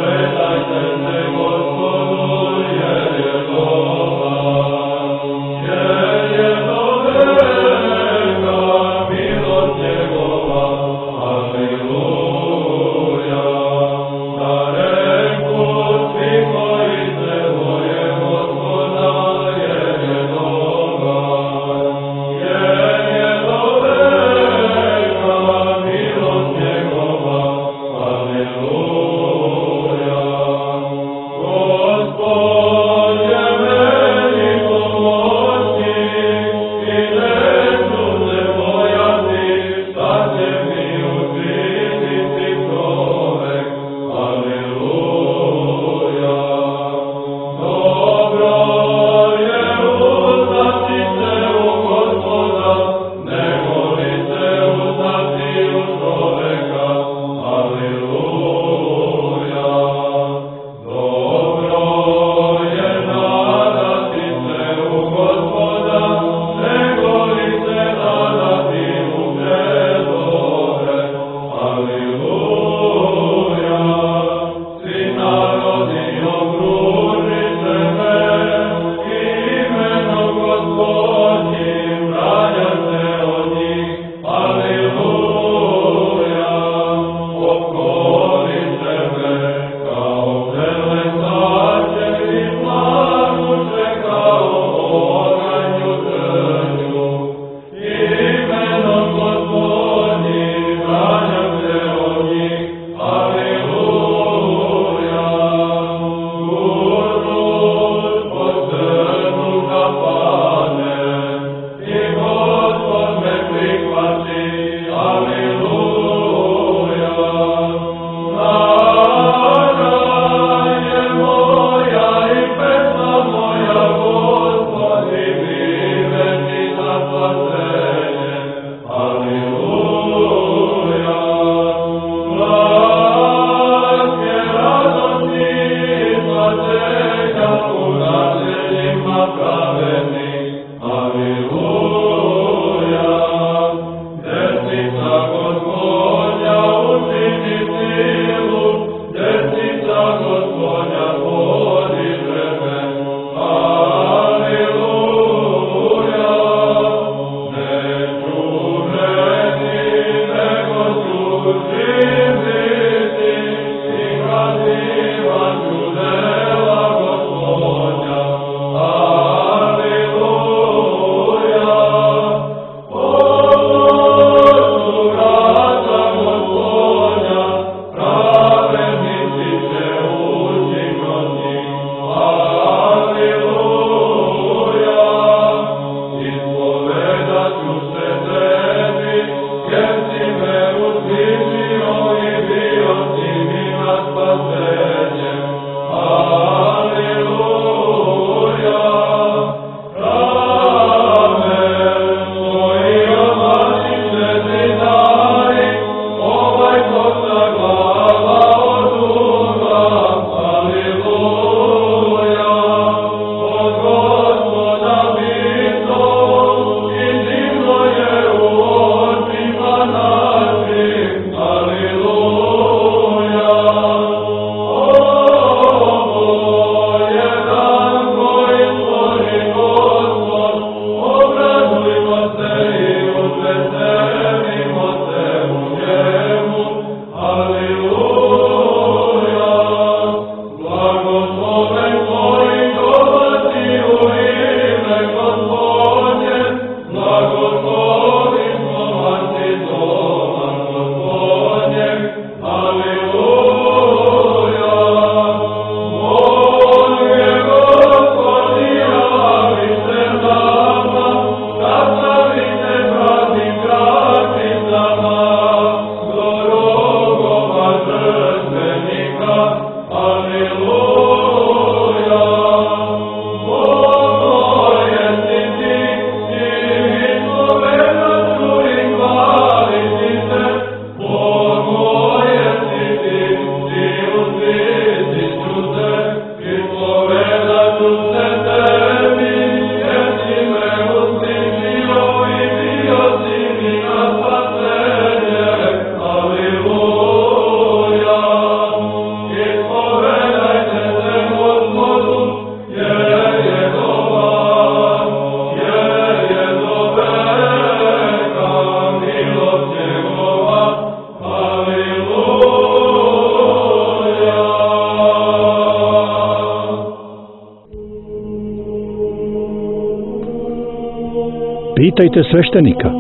Pitajte sveštenika.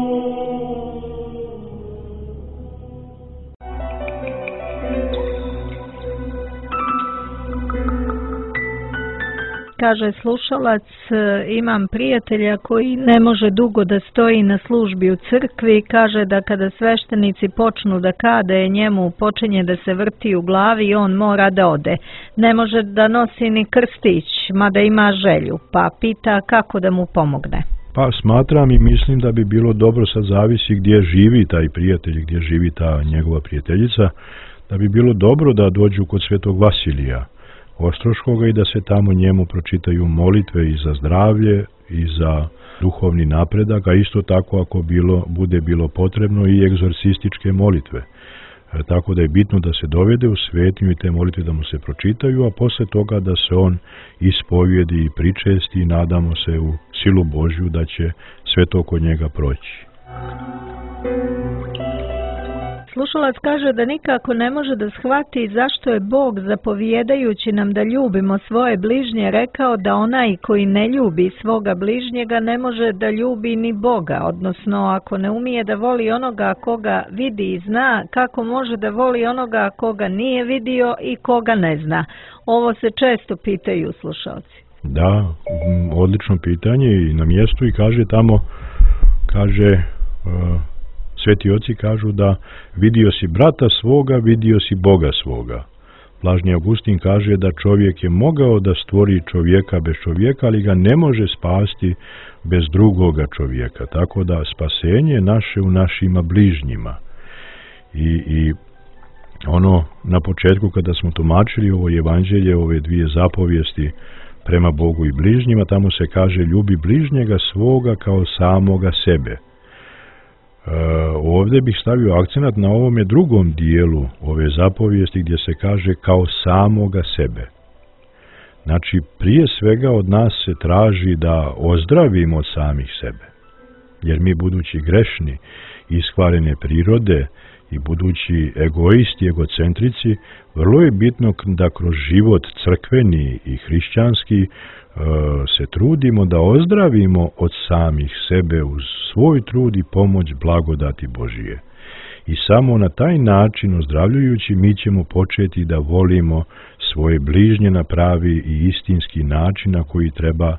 Kaže slušalac, imam prijatelja koji ne može dugo da stoji na službi u crkvi, kaže da kada sveštenici počnu da kade, njemu počinje da se vrti u glavi i on mora da ode. Ne može da nosi ni krstić, mada ima želju, pa pita kako da mu pomogne. Pa smatram i mislim da bi bilo dobro, sad zavisi gdje živi taj prijatelj, gdje živi ta njegova prijateljica, da bi bilo dobro da dođu kod svetog Vasilija Ostroškoga i da se tamo njemu pročitaju molitve i za zdravlje i za duhovni napredak, a isto tako ako bilo, bude bilo potrebno i egzorcističke molitve. E, tako da je bitno da se dovede u svetinju i te molitve da mu se pročitaju, a posle toga da se on ispovijedi i pričesti i nadamo se u silu Božju da će sve to kod njega proći. Slušalac kaže da nikako ne može da shvati zašto je Bog, zapovijedajući nam da ljubimo svoje bližnje, rekao da onaj koji ne ljubi svoga bližnjega ne može da ljubi ni Boga, odnosno ako ne umije da voli onoga koga vidi i zna, kako može da voli onoga koga nije vidio i koga ne zna. Ovo se često pitaju slušalci. Da, odlično pitanje i na mjestu i kaže tamo, kaže... Uh, Sveti oci kažu da vidio si brata svoga, vidio si Boga svoga. Blažni Augustin kaže da čovjek je mogao da stvori čovjeka bez čovjeka, ali ga ne može spasti bez drugoga čovjeka. Tako da spasenje naše u našima bližnjima. I, i ono na početku kada smo tumačili ovo evanđelje, ove dvije zapovijesti prema Bogu i bližnjima, tamo se kaže ljubi bližnjega svoga kao samoga sebe. Uh, ovdje bih stavio akcenat na ovome drugom dijelu ove zapovijesti gdje se kaže kao samoga sebe. Znači, prije svega od nas se traži da ozdravimo od samih sebe. Jer mi budući grešni, iskvarene prirode i budući egoisti, egocentrici, vrlo je bitno da kroz život crkveni i hrišćanski se trudimo da ozdravimo od samih sebe uz svoj trud i pomoć blagodati Božije. I samo na taj način ozdravljujući mi ćemo početi da volimo svoje bližnje na pravi i istinski način na koji treba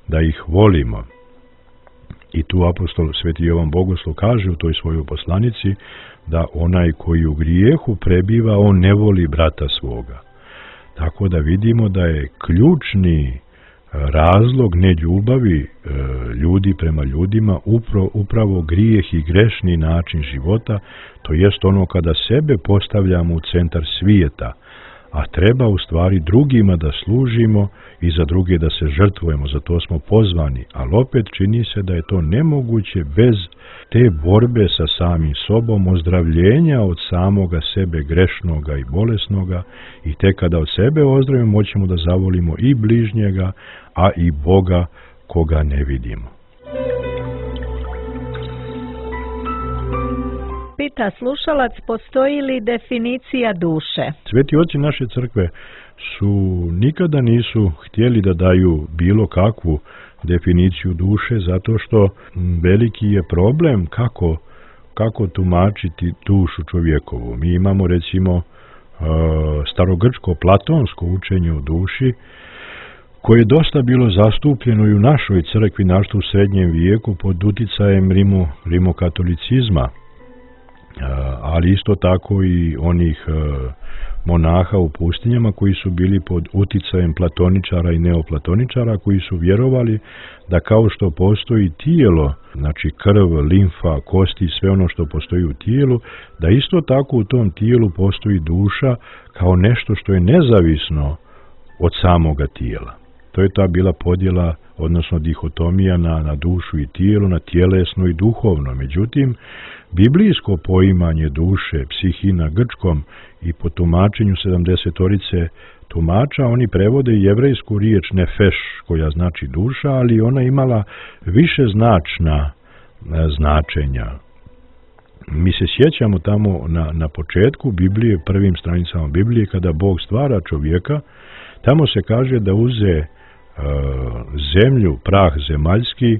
da ih volimo. I tu apostol Sveti Jovan Bogoslov kaže u toj svojoj poslanici da onaj koji u grijehu prebiva, on ne voli brata svoga. Tako da vidimo da je ključni razlog neljubavi ljudi prema ljudima upravo, upravo grijeh i grešni način života, to jest ono kada sebe postavljamo u centar svijeta, a treba u stvari drugima da služimo i za druge da se žrtvujemo, za to smo pozvani, ali opet čini se da je to nemoguće bez te borbe sa samim sobom, ozdravljenja od samoga sebe grešnoga i bolesnoga, i tek kada od sebe ozdravimo moćemo da zavolimo i bližnjega, a i Boga koga ne vidimo. Pita slušalac, postoji li definicija duše? Sveti oci naše crkve su nikada nisu htjeli da daju bilo kakvu definiciju duše, zato što veliki je problem kako, kako tumačiti dušu čovjekovu. Mi imamo recimo starogrčko platonsko učenje o duši, koje je dosta bilo zastupljeno i u našoj crkvi, našto u srednjem vijeku pod uticajem Rimo, rimokatolicizma, ali isto tako i onih monaha u pustinjama koji su bili pod uticajem platoničara i neoplatoničara, koji su vjerovali da kao što postoji tijelo, znači krv, limfa, kosti, sve ono što postoji u tijelu, da isto tako u tom tijelu postoji duša kao nešto što je nezavisno od samoga tijela. To je ta bila podjela, odnosno dihotomija na, na dušu i tijelo, na tjelesno i duhovno. Međutim, biblijsko poimanje duše, psihi na grčkom i po tumačenju sedamdesetorice tumača, oni prevode jevrejsku riječ nefeš, koja znači duša, ali ona imala više značna značenja. Mi se sjećamo tamo na, na početku Biblije, prvim stranicama Biblije, kada Bog stvara čovjeka, tamo se kaže da uze uh, zemlju, prah zemaljski,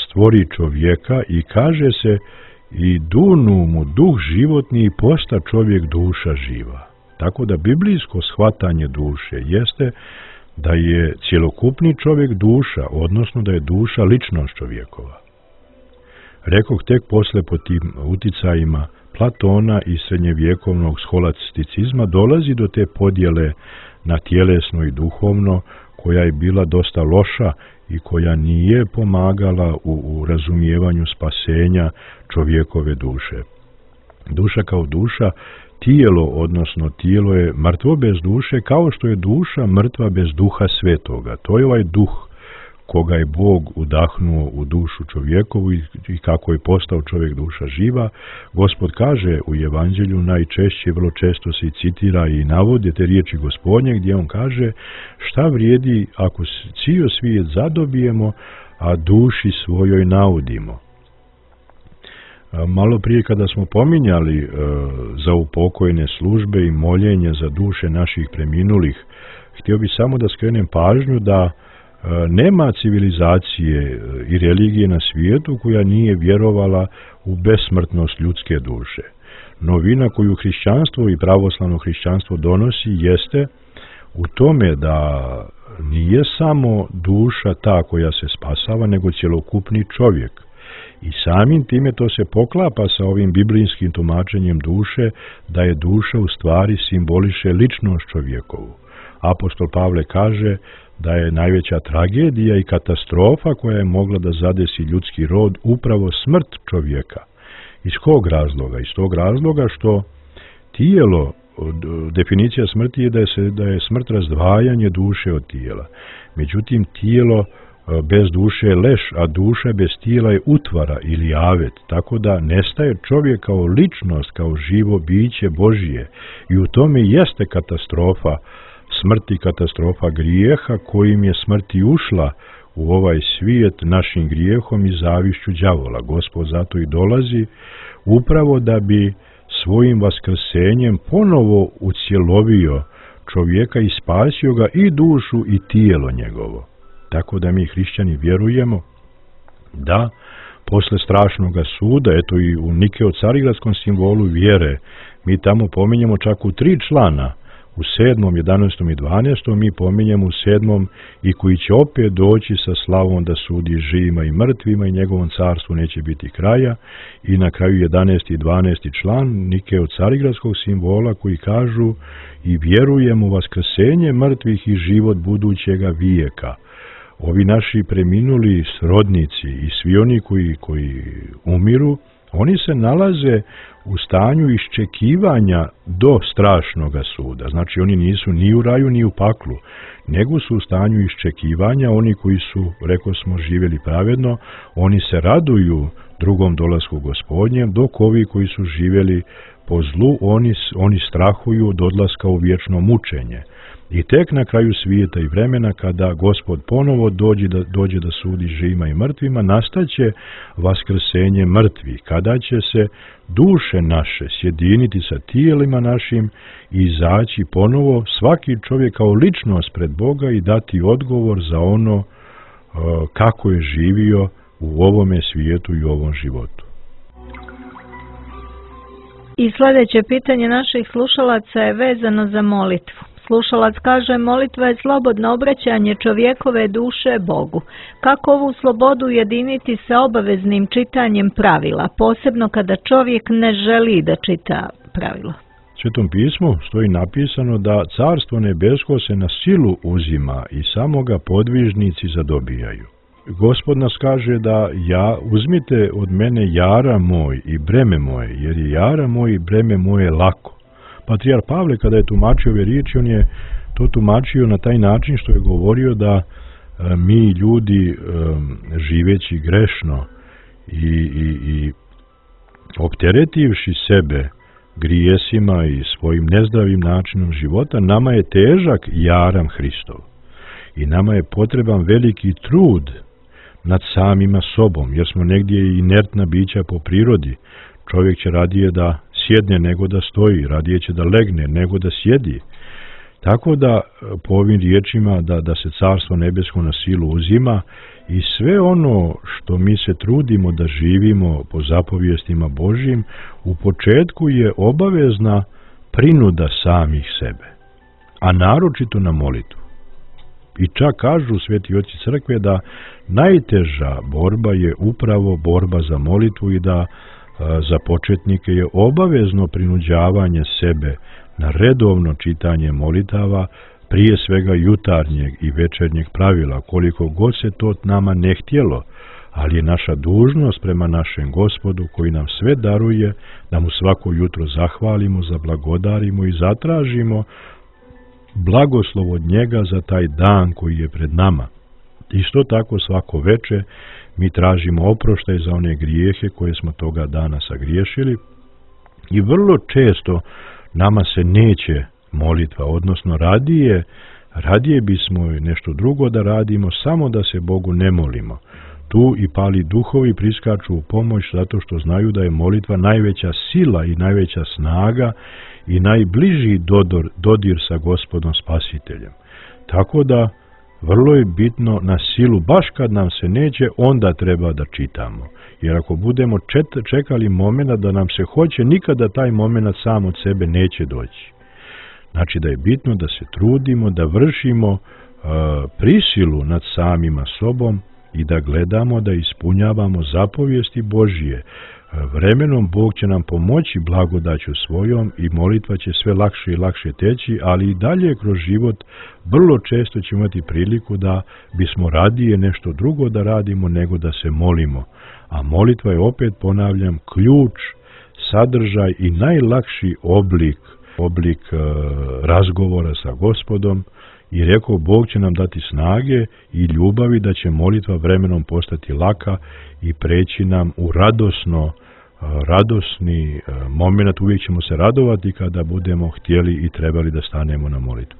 stvori čovjeka i kaže se i dunu mu duh životni i posta čovjek duša živa. Tako da biblijsko shvatanje duše jeste da je cjelokupni čovjek duša, odnosno da je duša ličnost čovjekova. Rekoh tek posle po tim uticajima Platona i srednjevjekovnog scholasticizma dolazi do te podjele na tjelesno i duhovno, koja je bila dosta loša i koja nije pomagala u, u razumijevanju spasenja čovjekove duše. Duša kao duša, tijelo, odnosno tijelo je mrtvo bez duše, kao što je duša mrtva bez duha svetoga. To je ovaj duh koga je Bog udahnuo u dušu čovjekovu i, i kako je postao čovjek duša živa. Gospod kaže u Evanđelju, najčešće, vrlo često se i citira i navode te riječi Gospodnje, gdje on kaže šta vrijedi ako cijel svijet zadobijemo, a duši svojoj naudimo. Malo prije kada smo pominjali e, za upokojne službe i moljenje za duše naših preminulih, htio bih samo da skrenem pažnju da e, nema civilizacije i religije na svijetu koja nije vjerovala u besmrtnost ljudske duše. Novina koju hrišćanstvo i pravoslavno hrišćanstvo donosi jeste u tome da nije samo duša ta koja se spasava, nego cjelokupni čovjek. I samim time to se poklapa sa ovim biblijskim tumačenjem duše, da je duša u stvari simboliše ličnost čovjekovu. Apostol Pavle kaže da je najveća tragedija i katastrofa koja je mogla da zadesi ljudski rod upravo smrt čovjeka. Iz kog razloga? Iz tog razloga što tijelo, definicija smrti je da je, se, da je smrt razdvajanje duše od tijela. Međutim, tijelo bez duše je leš, a duša bez tijela je utvara ili avet, tako da nestaje čovjek kao ličnost, kao živo biće Božije. I u tome jeste katastrofa smrti, katastrofa grijeha, kojim je smrti ušla u ovaj svijet našim grijehom i zavišću đavola. Gospod zato i dolazi upravo da bi svojim vaskrsenjem ponovo ucjelovio čovjeka i spasio ga i dušu i tijelo njegovo. Tako da mi hrišćani vjerujemo da posle strašnog suda, eto i u Nikeo-Carigradskom simbolu vjere, mi tamo pominjemo čak u tri člana, u sedmom, jedanaestom i dvanaestom mi pominjemo u sedmom i koji će opet doći sa slavom da sudi živima i mrtvima i njegovom carstvu neće biti kraja, i na kraju jedanaesti i dvanaesti član Nikeo-Carigradskog simbola koji kažu i vjerujemo u vaskrsenje mrtvih i život budućega vijeka. Ovi naši preminuli srodnici i svi oni koji, koji umiru, oni se nalaze u stanju iščekivanja do strašnoga suda. Znači oni nisu ni u raju ni u paklu, nego su u stanju iščekivanja. Oni koji su, reko smo, živjeli pravedno, oni se raduju drugom dolasku Gospodnjem, dok ovi koji su živjeli po zlu, oni, oni strahuju od odlaska u vječno mučenje. I tek na kraju svijeta i vremena, kada Gospod ponovo dođe da, dođe da sudi živima i mrtvima, nastaće vaskrsenje mrtvih, kada će se duše naše sjediniti sa tijelima našim i izaći ponovo svaki čovjek kao ličnost pred Boga i dati odgovor za ono uh, kako je živio u ovome svijetu i u ovom životu. I sljedeće pitanje naših slušalaca je vezano za molitvu. Slušalac kaže, molitva je slobodno obraćanje čovjekove duše Bogu. Kako ovu slobodu ujediniti sa obaveznim čitanjem pravila, posebno kada čovjek ne želi da čita pravila? U Svetom pismu stoji napisano da carstvo nebesko se na silu uzima i samo ga podvižnici zadobijaju. Gospod nas kaže da ja, uzmite od mene jara moj i breme moje, jer je jara moj i breme moje lako. Patrijar Pavle, kada je tumačio ove riječi, on je to tumačio na taj način što je govorio da e, mi ljudi e, živeći grešno i, i, i opteretivši sebe grijesima i svojim nezdravim načinom života, nama je težak jaram Hristov. I nama je potreban veliki trud nad samima sobom, jer smo negdje inertna bića po prirodi. Čovjek će radije da sjedne nego da stoji, radije će da legne nego da sjedi. Tako da po ovim riječima da, da se Carstvo nebesko na silu uzima i sve ono što mi se trudimo da živimo po zapovijestima Božjim, u početku je obavezna prinuda samih sebe, a naročito na molitvu. I čak kažu sveti oci crkve da najteža borba je upravo borba za molitvu i da a, za početnike je obavezno prinuđavanje sebe na redovno čitanje molitava, prije svega jutarnjeg i večernjeg pravila, koliko god se to nama ne htjelo, ali je naša dužnost prema našem Gospodu koji nam sve daruje, da mu svako jutro zahvalimo, zablagodarimo i zatražimo blagoslov od njega za taj dan koji je pred nama. Isto tako svako veče mi tražimo oproštaj za one grijehe koje smo toga dana sagriješili i vrlo često nama se neće molitva, odnosno radije, radije bismo nešto drugo da radimo, samo da se Bogu ne molimo. Tu i pali duhovi priskaču u pomoć zato što znaju da je molitva najveća sila i najveća snaga i najbliži dodor, dodir sa Gospodom Spasiteljem. Tako da vrlo je bitno na silu, baš kad nam se neće, onda treba da čitamo. Jer ako budemo čet, čekali momenta da nam se hoće, nikada taj moment sam od sebe neće doći. Znači da je bitno da se trudimo, da vršimo uh, prisilu nad samima sobom i da gledamo da ispunjavamo zapovijesti Božije. Vremenom Bog će nam pomoći blagodaću svojom i molitva će sve lakše i lakše teći, ali i dalje kroz život vrlo često ćemo imati priliku da bismo radije nešto drugo da radimo nego da se molimo. A molitva je, opet ponavljam, ključ, sadržaj i najlakši oblik, oblik uh, razgovora sa Gospodom. I rekao, Bog će nam dati snage i ljubavi da će molitva vremenom postati laka i preći nam u radosno, radosni moment. Uvijek ćemo se radovati kada budemo htjeli i trebali da stanemo na molitvu.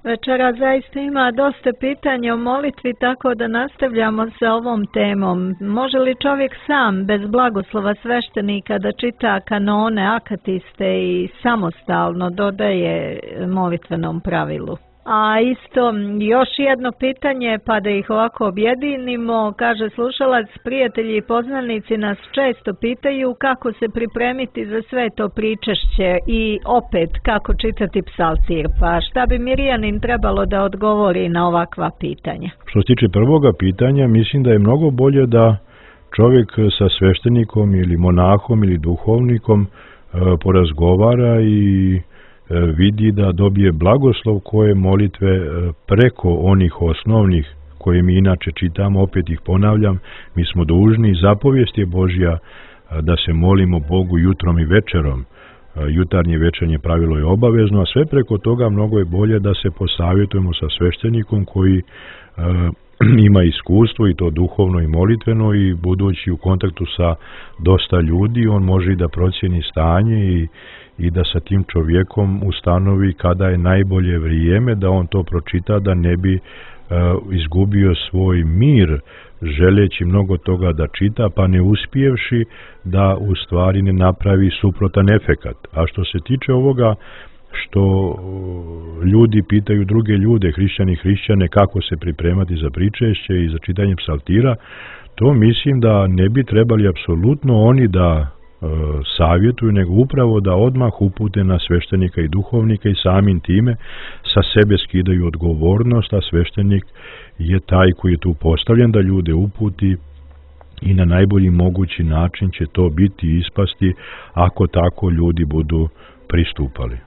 Večera zaista ima dosta pitanja o molitvi, tako da nastavljamo sa ovom temom. Može li čovjek sam, bez blagoslova sveštenika, da čita kanone, akatiste i samostalno dodaje molitvenom pravilu? A isto još jedno pitanje, pa da ih ovako objedinimo, kaže slušalac, prijatelji i poznanici nas često pitaju kako se pripremiti za sve to pričešće i opet kako čitati psaltir, pa šta bi Mirjanin trebalo da odgovori na ovakva pitanja? Što se tiče prvoga pitanja, mislim da je mnogo bolje da čovjek sa sveštenikom ili monahom ili duhovnikom e, porazgovara i vidi da dobije blagoslov koje molitve preko onih osnovnih koje mi inače čitamo, opet ih ponavljam, mi smo dužni, zapovijest je Božja da se molimo Bogu jutrom i večerom. Jutarnje večernje pravilo je obavezno, a sve preko toga mnogo je bolje da se posavjetujemo sa sveštenikom koji ima iskustvo i to duhovno i molitveno i budući u kontaktu sa dosta ljudi, on može i da procjeni stanje i i da sa tim čovjekom ustanovi kada je najbolje vrijeme da on to pročita, da ne bi uh, izgubio svoj mir želeći mnogo toga da čita, pa ne uspjevši da u stvari ne napravi suprotan efekat. A što se tiče ovoga što ljudi pitaju druge ljude, hrišćani i hrišćane, kako se pripremati za pričešće i za čitanje psaltira, to mislim da ne bi trebali apsolutno oni da savjetuju, nego upravo da odmah upute na sveštenika i duhovnika i samim time sa sebe skidaju odgovornost, a sveštenik je taj koji je tu postavljen da ljude uputi i na najbolji mogući način će to biti i ispasti ako tako ljudi budu pristupali.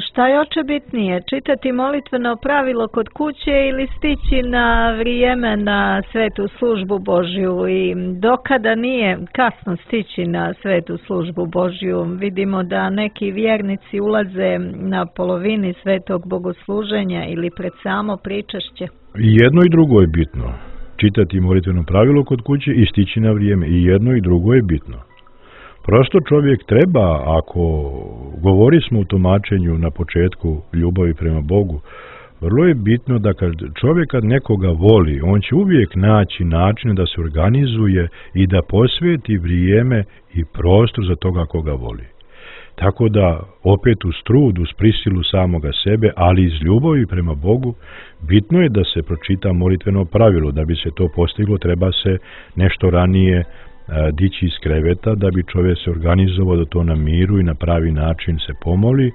Šta je očebitnije, čitati molitveno pravilo kod kuće ili stići na vrijeme na svetu službu Božju i dokada nije kasno stići na svetu službu Božju? Vidimo da neki vjernici ulaze na polovini svetog bogosluženja ili pred samo pričešće. I jedno i drugo je bitno. Čitati molitveno pravilo kod kuće i stići na vrijeme. I jedno i drugo je bitno. Prosto čovjek treba, ako govori smo u tumačenju na početku ljubavi prema Bogu, vrlo je bitno da kad čovjek kad nekoga voli, on će uvijek naći način da se organizuje i da posveti vrijeme i prostor za toga koga voli. Tako da, opet uz trud, uz prisilu samoga sebe, ali iz ljubavi prema Bogu, bitno je da se pročita molitveno pravilo. Da bi se to postiglo, treba se nešto ranije a, dići iz kreveta, da bi čovjek se organizovao da to na miru i na pravi način se pomoli,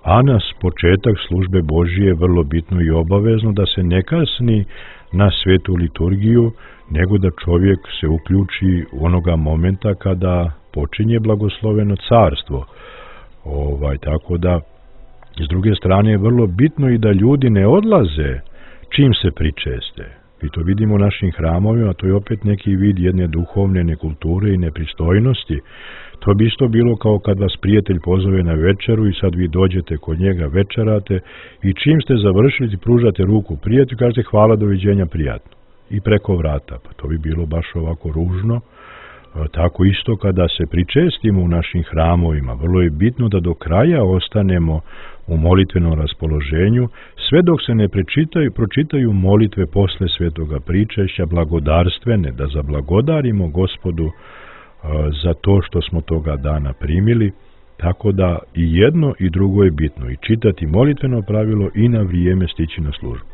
a nas početak službe Božije je vrlo bitno i obavezno da se ne kasni na svetu liturgiju, nego da čovjek se uključi onoga momenta kada počinje blagosloveno carstvo. Ovaj, tako da, s druge strane je vrlo bitno i da ljudi ne odlaze čim se pričeste. I to vidimo u našim hramovima, to je opet neki vid jedne duhovne nekulture i nepristojnosti. To bi isto bilo kao kad vas prijatelj pozove na večeru i sad vi dođete kod njega, večerate i čim ste završili pružate ruku prijatelju i kažete hvala, doviđenja, prijatno. I preko vrata, pa to bi bilo baš ovako ružno. Tako isto kada se pričestimo u našim hramovima, vrlo je bitno da do kraja ostanemo u molitvenom raspoloženju, sve dok se ne prečitaju, pročitaju molitve posle svetoga pričešća, blagodarstvene, da zablagodarimo Gospodu za to što smo toga dana primili, tako da i jedno i drugo je bitno, i čitati molitveno pravilo i na vrijeme stići na službu.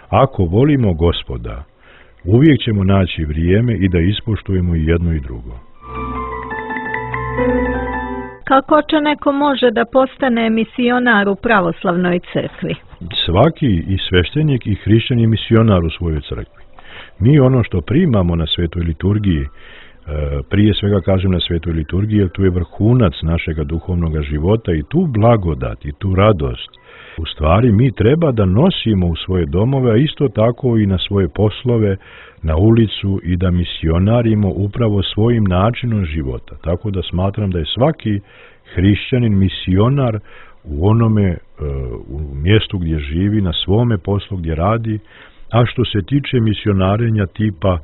Ako volimo Gospoda, uvijek ćemo naći vrijeme i da ispoštujemo i jedno i drugo. Kako će neko može da postane misionar u pravoslavnoj crkvi? Svaki i sveštenik i hrišćan je misionar u svojoj crkvi. Mi ono što primamo na svetoj liturgiji, prije svega kažem na svetoj liturgiji, jer tu je vrhunac našega duhovnog života i tu blagodat i tu radost. U stvari mi treba da nosimo u svoje domove, a isto tako i na svoje poslove, na ulicu i da misionarimo upravo svojim načinom života. Tako da smatram da je svaki hrišćanin misionar u onome, u mjestu gdje živi, na svome poslu gdje radi, a što se tiče misionarenja tipa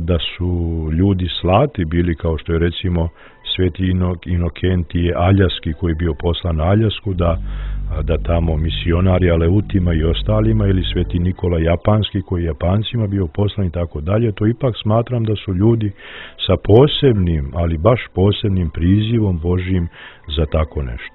da su ljudi slati bili, kao što je recimo sveti Inokentije Aljaski koji je bio poslan na Aljasku da, da tamo misionari Aleutima i ostalima, ili sveti Nikola Japanski koji je Japancima bio poslan i tako dalje, to ipak smatram da su ljudi sa posebnim, ali baš posebnim prizivom Božjim za tako nešto.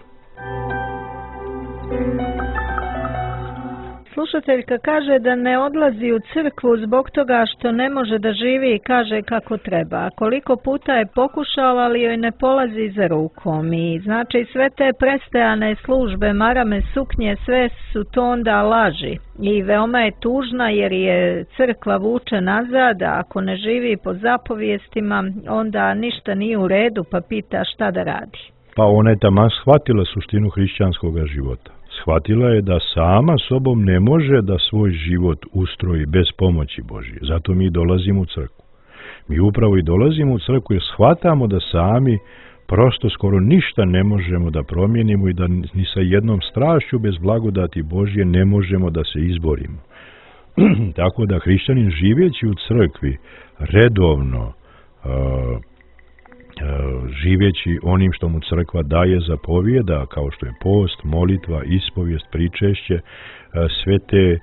Slušateljka kaže da ne odlazi u crkvu zbog toga što ne može da živi i kaže kako treba. A koliko puta je pokušala, ali joj ne polazi za rukom. I znači sve te prestajane službe, marame, suknje, sve su to onda laži. I veoma je tužna jer je crkva vuče nazad, a ako ne živi po zapovijestima, onda ništa nije u redu, pa pita šta da radi. Pa ona je taman shvatila suštinu hrišćanskog života. Shvatila je da sama sobom ne može da svoj život ustroji bez pomoći Božje. Zato mi dolazimo u crkvu. Mi upravo i dolazimo u crkvu jer shvatamo da sami prosto skoro ništa ne možemo da promijenimo i da ni sa jednom strašću bez blagodati Božje ne možemo da se izborimo. Tako da hrišćanin živeći u crkvi redovno, uh, živeći onim što mu crkva daje zapovijeda, kao što je post, molitva, ispovijest, pričešće, sve te,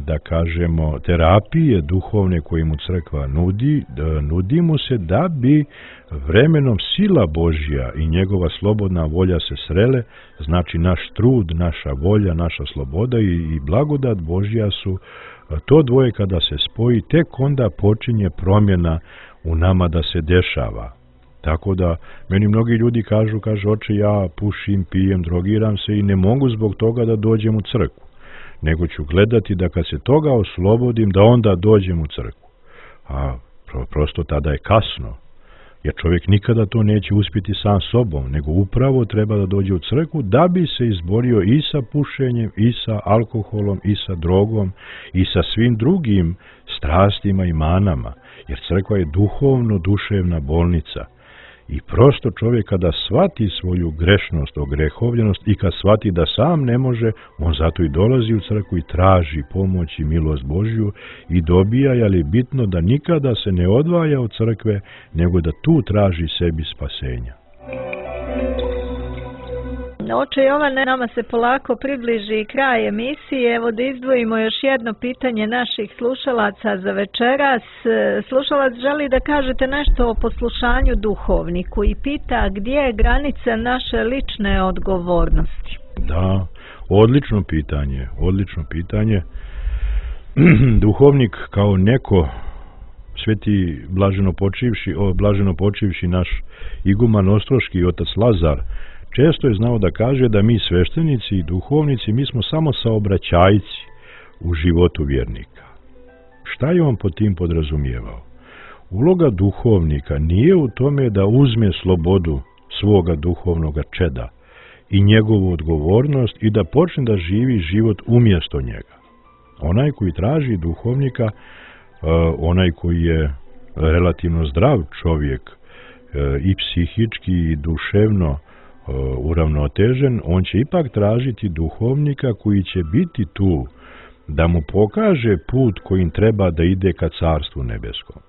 da kažemo, terapije duhovne koje mu crkva nudi, nudi mu se da bi vremenom sila Božja i njegova slobodna volja se srele, znači naš trud, naša volja, naša sloboda i, i blagodat Božja su to dvoje kada se spoji, tek onda počinje promjena u nama da se dešava. Tako da, meni mnogi ljudi kažu, kaže, oče, ja pušim, pijem, drogiram se i ne mogu zbog toga da dođem u crkvu, nego ću gledati da kad se toga oslobodim, da onda dođem u crkvu. A prosto tada je kasno, jer čovjek nikada to neće uspjeti sam sobom, nego upravo treba da dođe u crkvu da bi se izborio i sa pušenjem, i sa alkoholom, i sa drogom, i sa svim drugim strastima i manama, jer crkva je duhovno duševna bolnica. I prosto čovjek kada shvati svoju grešnost, ogrehovljenost i kad shvati da sam ne može, on zato i dolazi u crkvu i traži pomoć i milost Božju i dobija, ali je bitno da nikada se ne odvaja od crkve, nego da tu traži sebi spasenja. Oče Jovane, nama se polako približi kraj emisije. Evo da izdvojimo još jedno pitanje naših slušalaca za večeras. Slušalac želi da kažete nešto o poslušanju duhovniku i pita gdje je granica naše lične odgovornosti. Da, odlično pitanje, odlično pitanje. Duhovnik kao neko, sveti blaženo počivši, o, blaženo počivši naš iguman ostroški otac Lazar, često je znao da kaže da mi sveštenici i duhovnici, mi smo samo saobraćajci u životu vjernika. Šta je on pod tim podrazumijevao? Uloga duhovnika nije u tome da uzme slobodu svoga duhovnoga čeda i njegovu odgovornost i da počne da živi život umjesto njega. Onaj koji traži duhovnika, onaj koji je relativno zdrav čovjek i psihički i duševno uravnotežen, on će ipak tražiti duhovnika koji će biti tu da mu pokaže put kojim treba da ide ka carstvu nebeskom.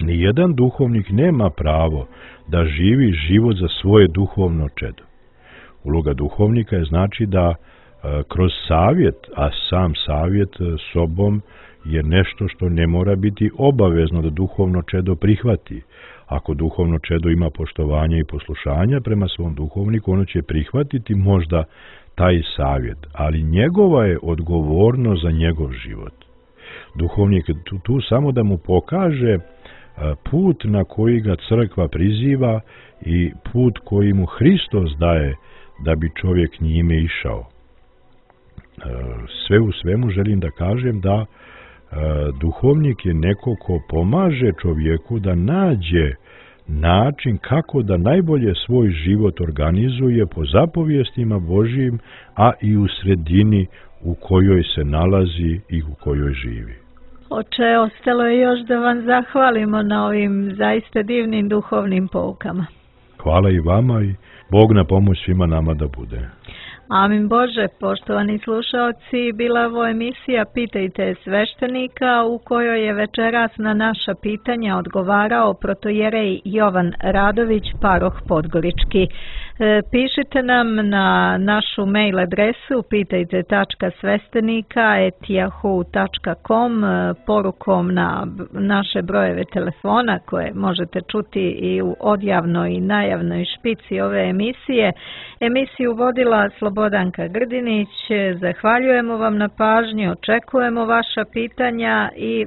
Nijedan duhovnik nema pravo da živi život za svoje duhovno čedo. Uloga duhovnika je znači da kroz savjet, a sam savjet sobom je nešto što ne mora biti obavezno da duhovno čedo prihvati. Ako duhovno čedo ima poštovanja i poslušanja prema svom duhovniku, ono će prihvatiti možda taj savjet, ali njegova je odgovornost za njegov život. Duhovnik je tu, tu samo da mu pokaže put na koji ga crkva priziva i put koji mu Hristos daje da bi čovjek njime išao. Sve u svemu želim da kažem da duhovnik je neko ko pomaže čovjeku da nađe način kako da najbolje svoj život organizuje po zapovjestima Božjim, a i u sredini u kojoj se nalazi i u kojoj živi. Oče, ostalo je još da vam zahvalimo na ovim zaista divnim duhovnim poukama. Hvala i vama i Bog na pomoć svima nama da bude. Amin Bože, poštovani slušaoci, bila je ovo emisija Pitajte sveštenika u kojoj je večeras na naša pitanja odgovarao protojerej Jovan Radović, paroh Podgorički. E, pišite nam na našu mail adresu pitajte tačka sveštenika et yahoo tačka com porukom na naše brojeve telefona koje možete čuti i u odjavnoj i najavnoj špici ove emisije. Emisiju vodila Slobodanka Grdinić. Zahvaljujemo vam na pažnji, očekujemo vaša pitanja i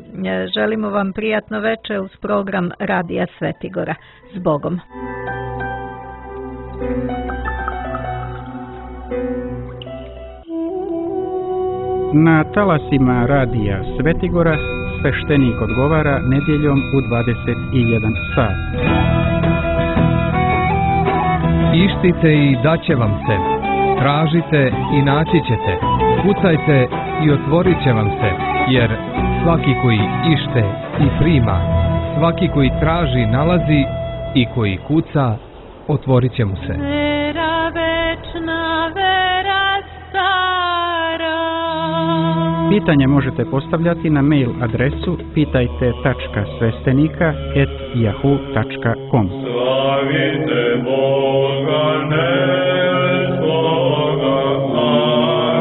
želimo vam prijatno veče uz program Radija Svetigora. S Bogom! Na talasima Radija Svetigora sveštenik odgovara nedjeljom u dvadeset jedan sat. Ištite i daće vam se. Tražite i naći ćete. Kucajte i otvorit će vam se. Jer svaki koji ište i prima, svaki koji traži nalazi i koji kuca, otvorit će mu se. Vera večna, vera stara. Pitanje možete postavljati na mail adresu pitajte tačka sveštenika et yahoo tačka com. Slavite Boga nebskoga,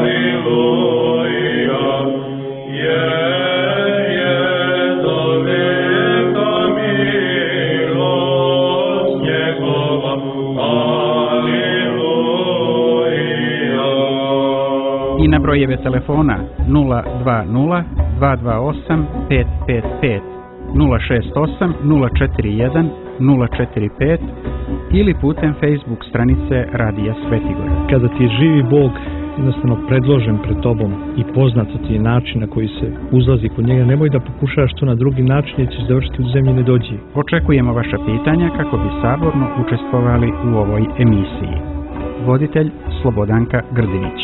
aleluja, jer je do veka milost njegova, aleluja. I na brojeve telefona nula dva nula dva dva osam pet pet pet, nula šest osam nula četiri jedan nula četiri pet ili putem Facebook stranice Radija Svetigora. Kada ti je živi Bog jednostavno predložen pred tobom i poznato ti je način na koji se uzlazi kod njega, nemoj da pokušaš to na drugi način jer ćeš završiti u zemlji nedođi. Očekujemo vaša pitanja kako bi saborno učestvovali u ovoj emisiji. Voditelj Slobodanka Grdinić.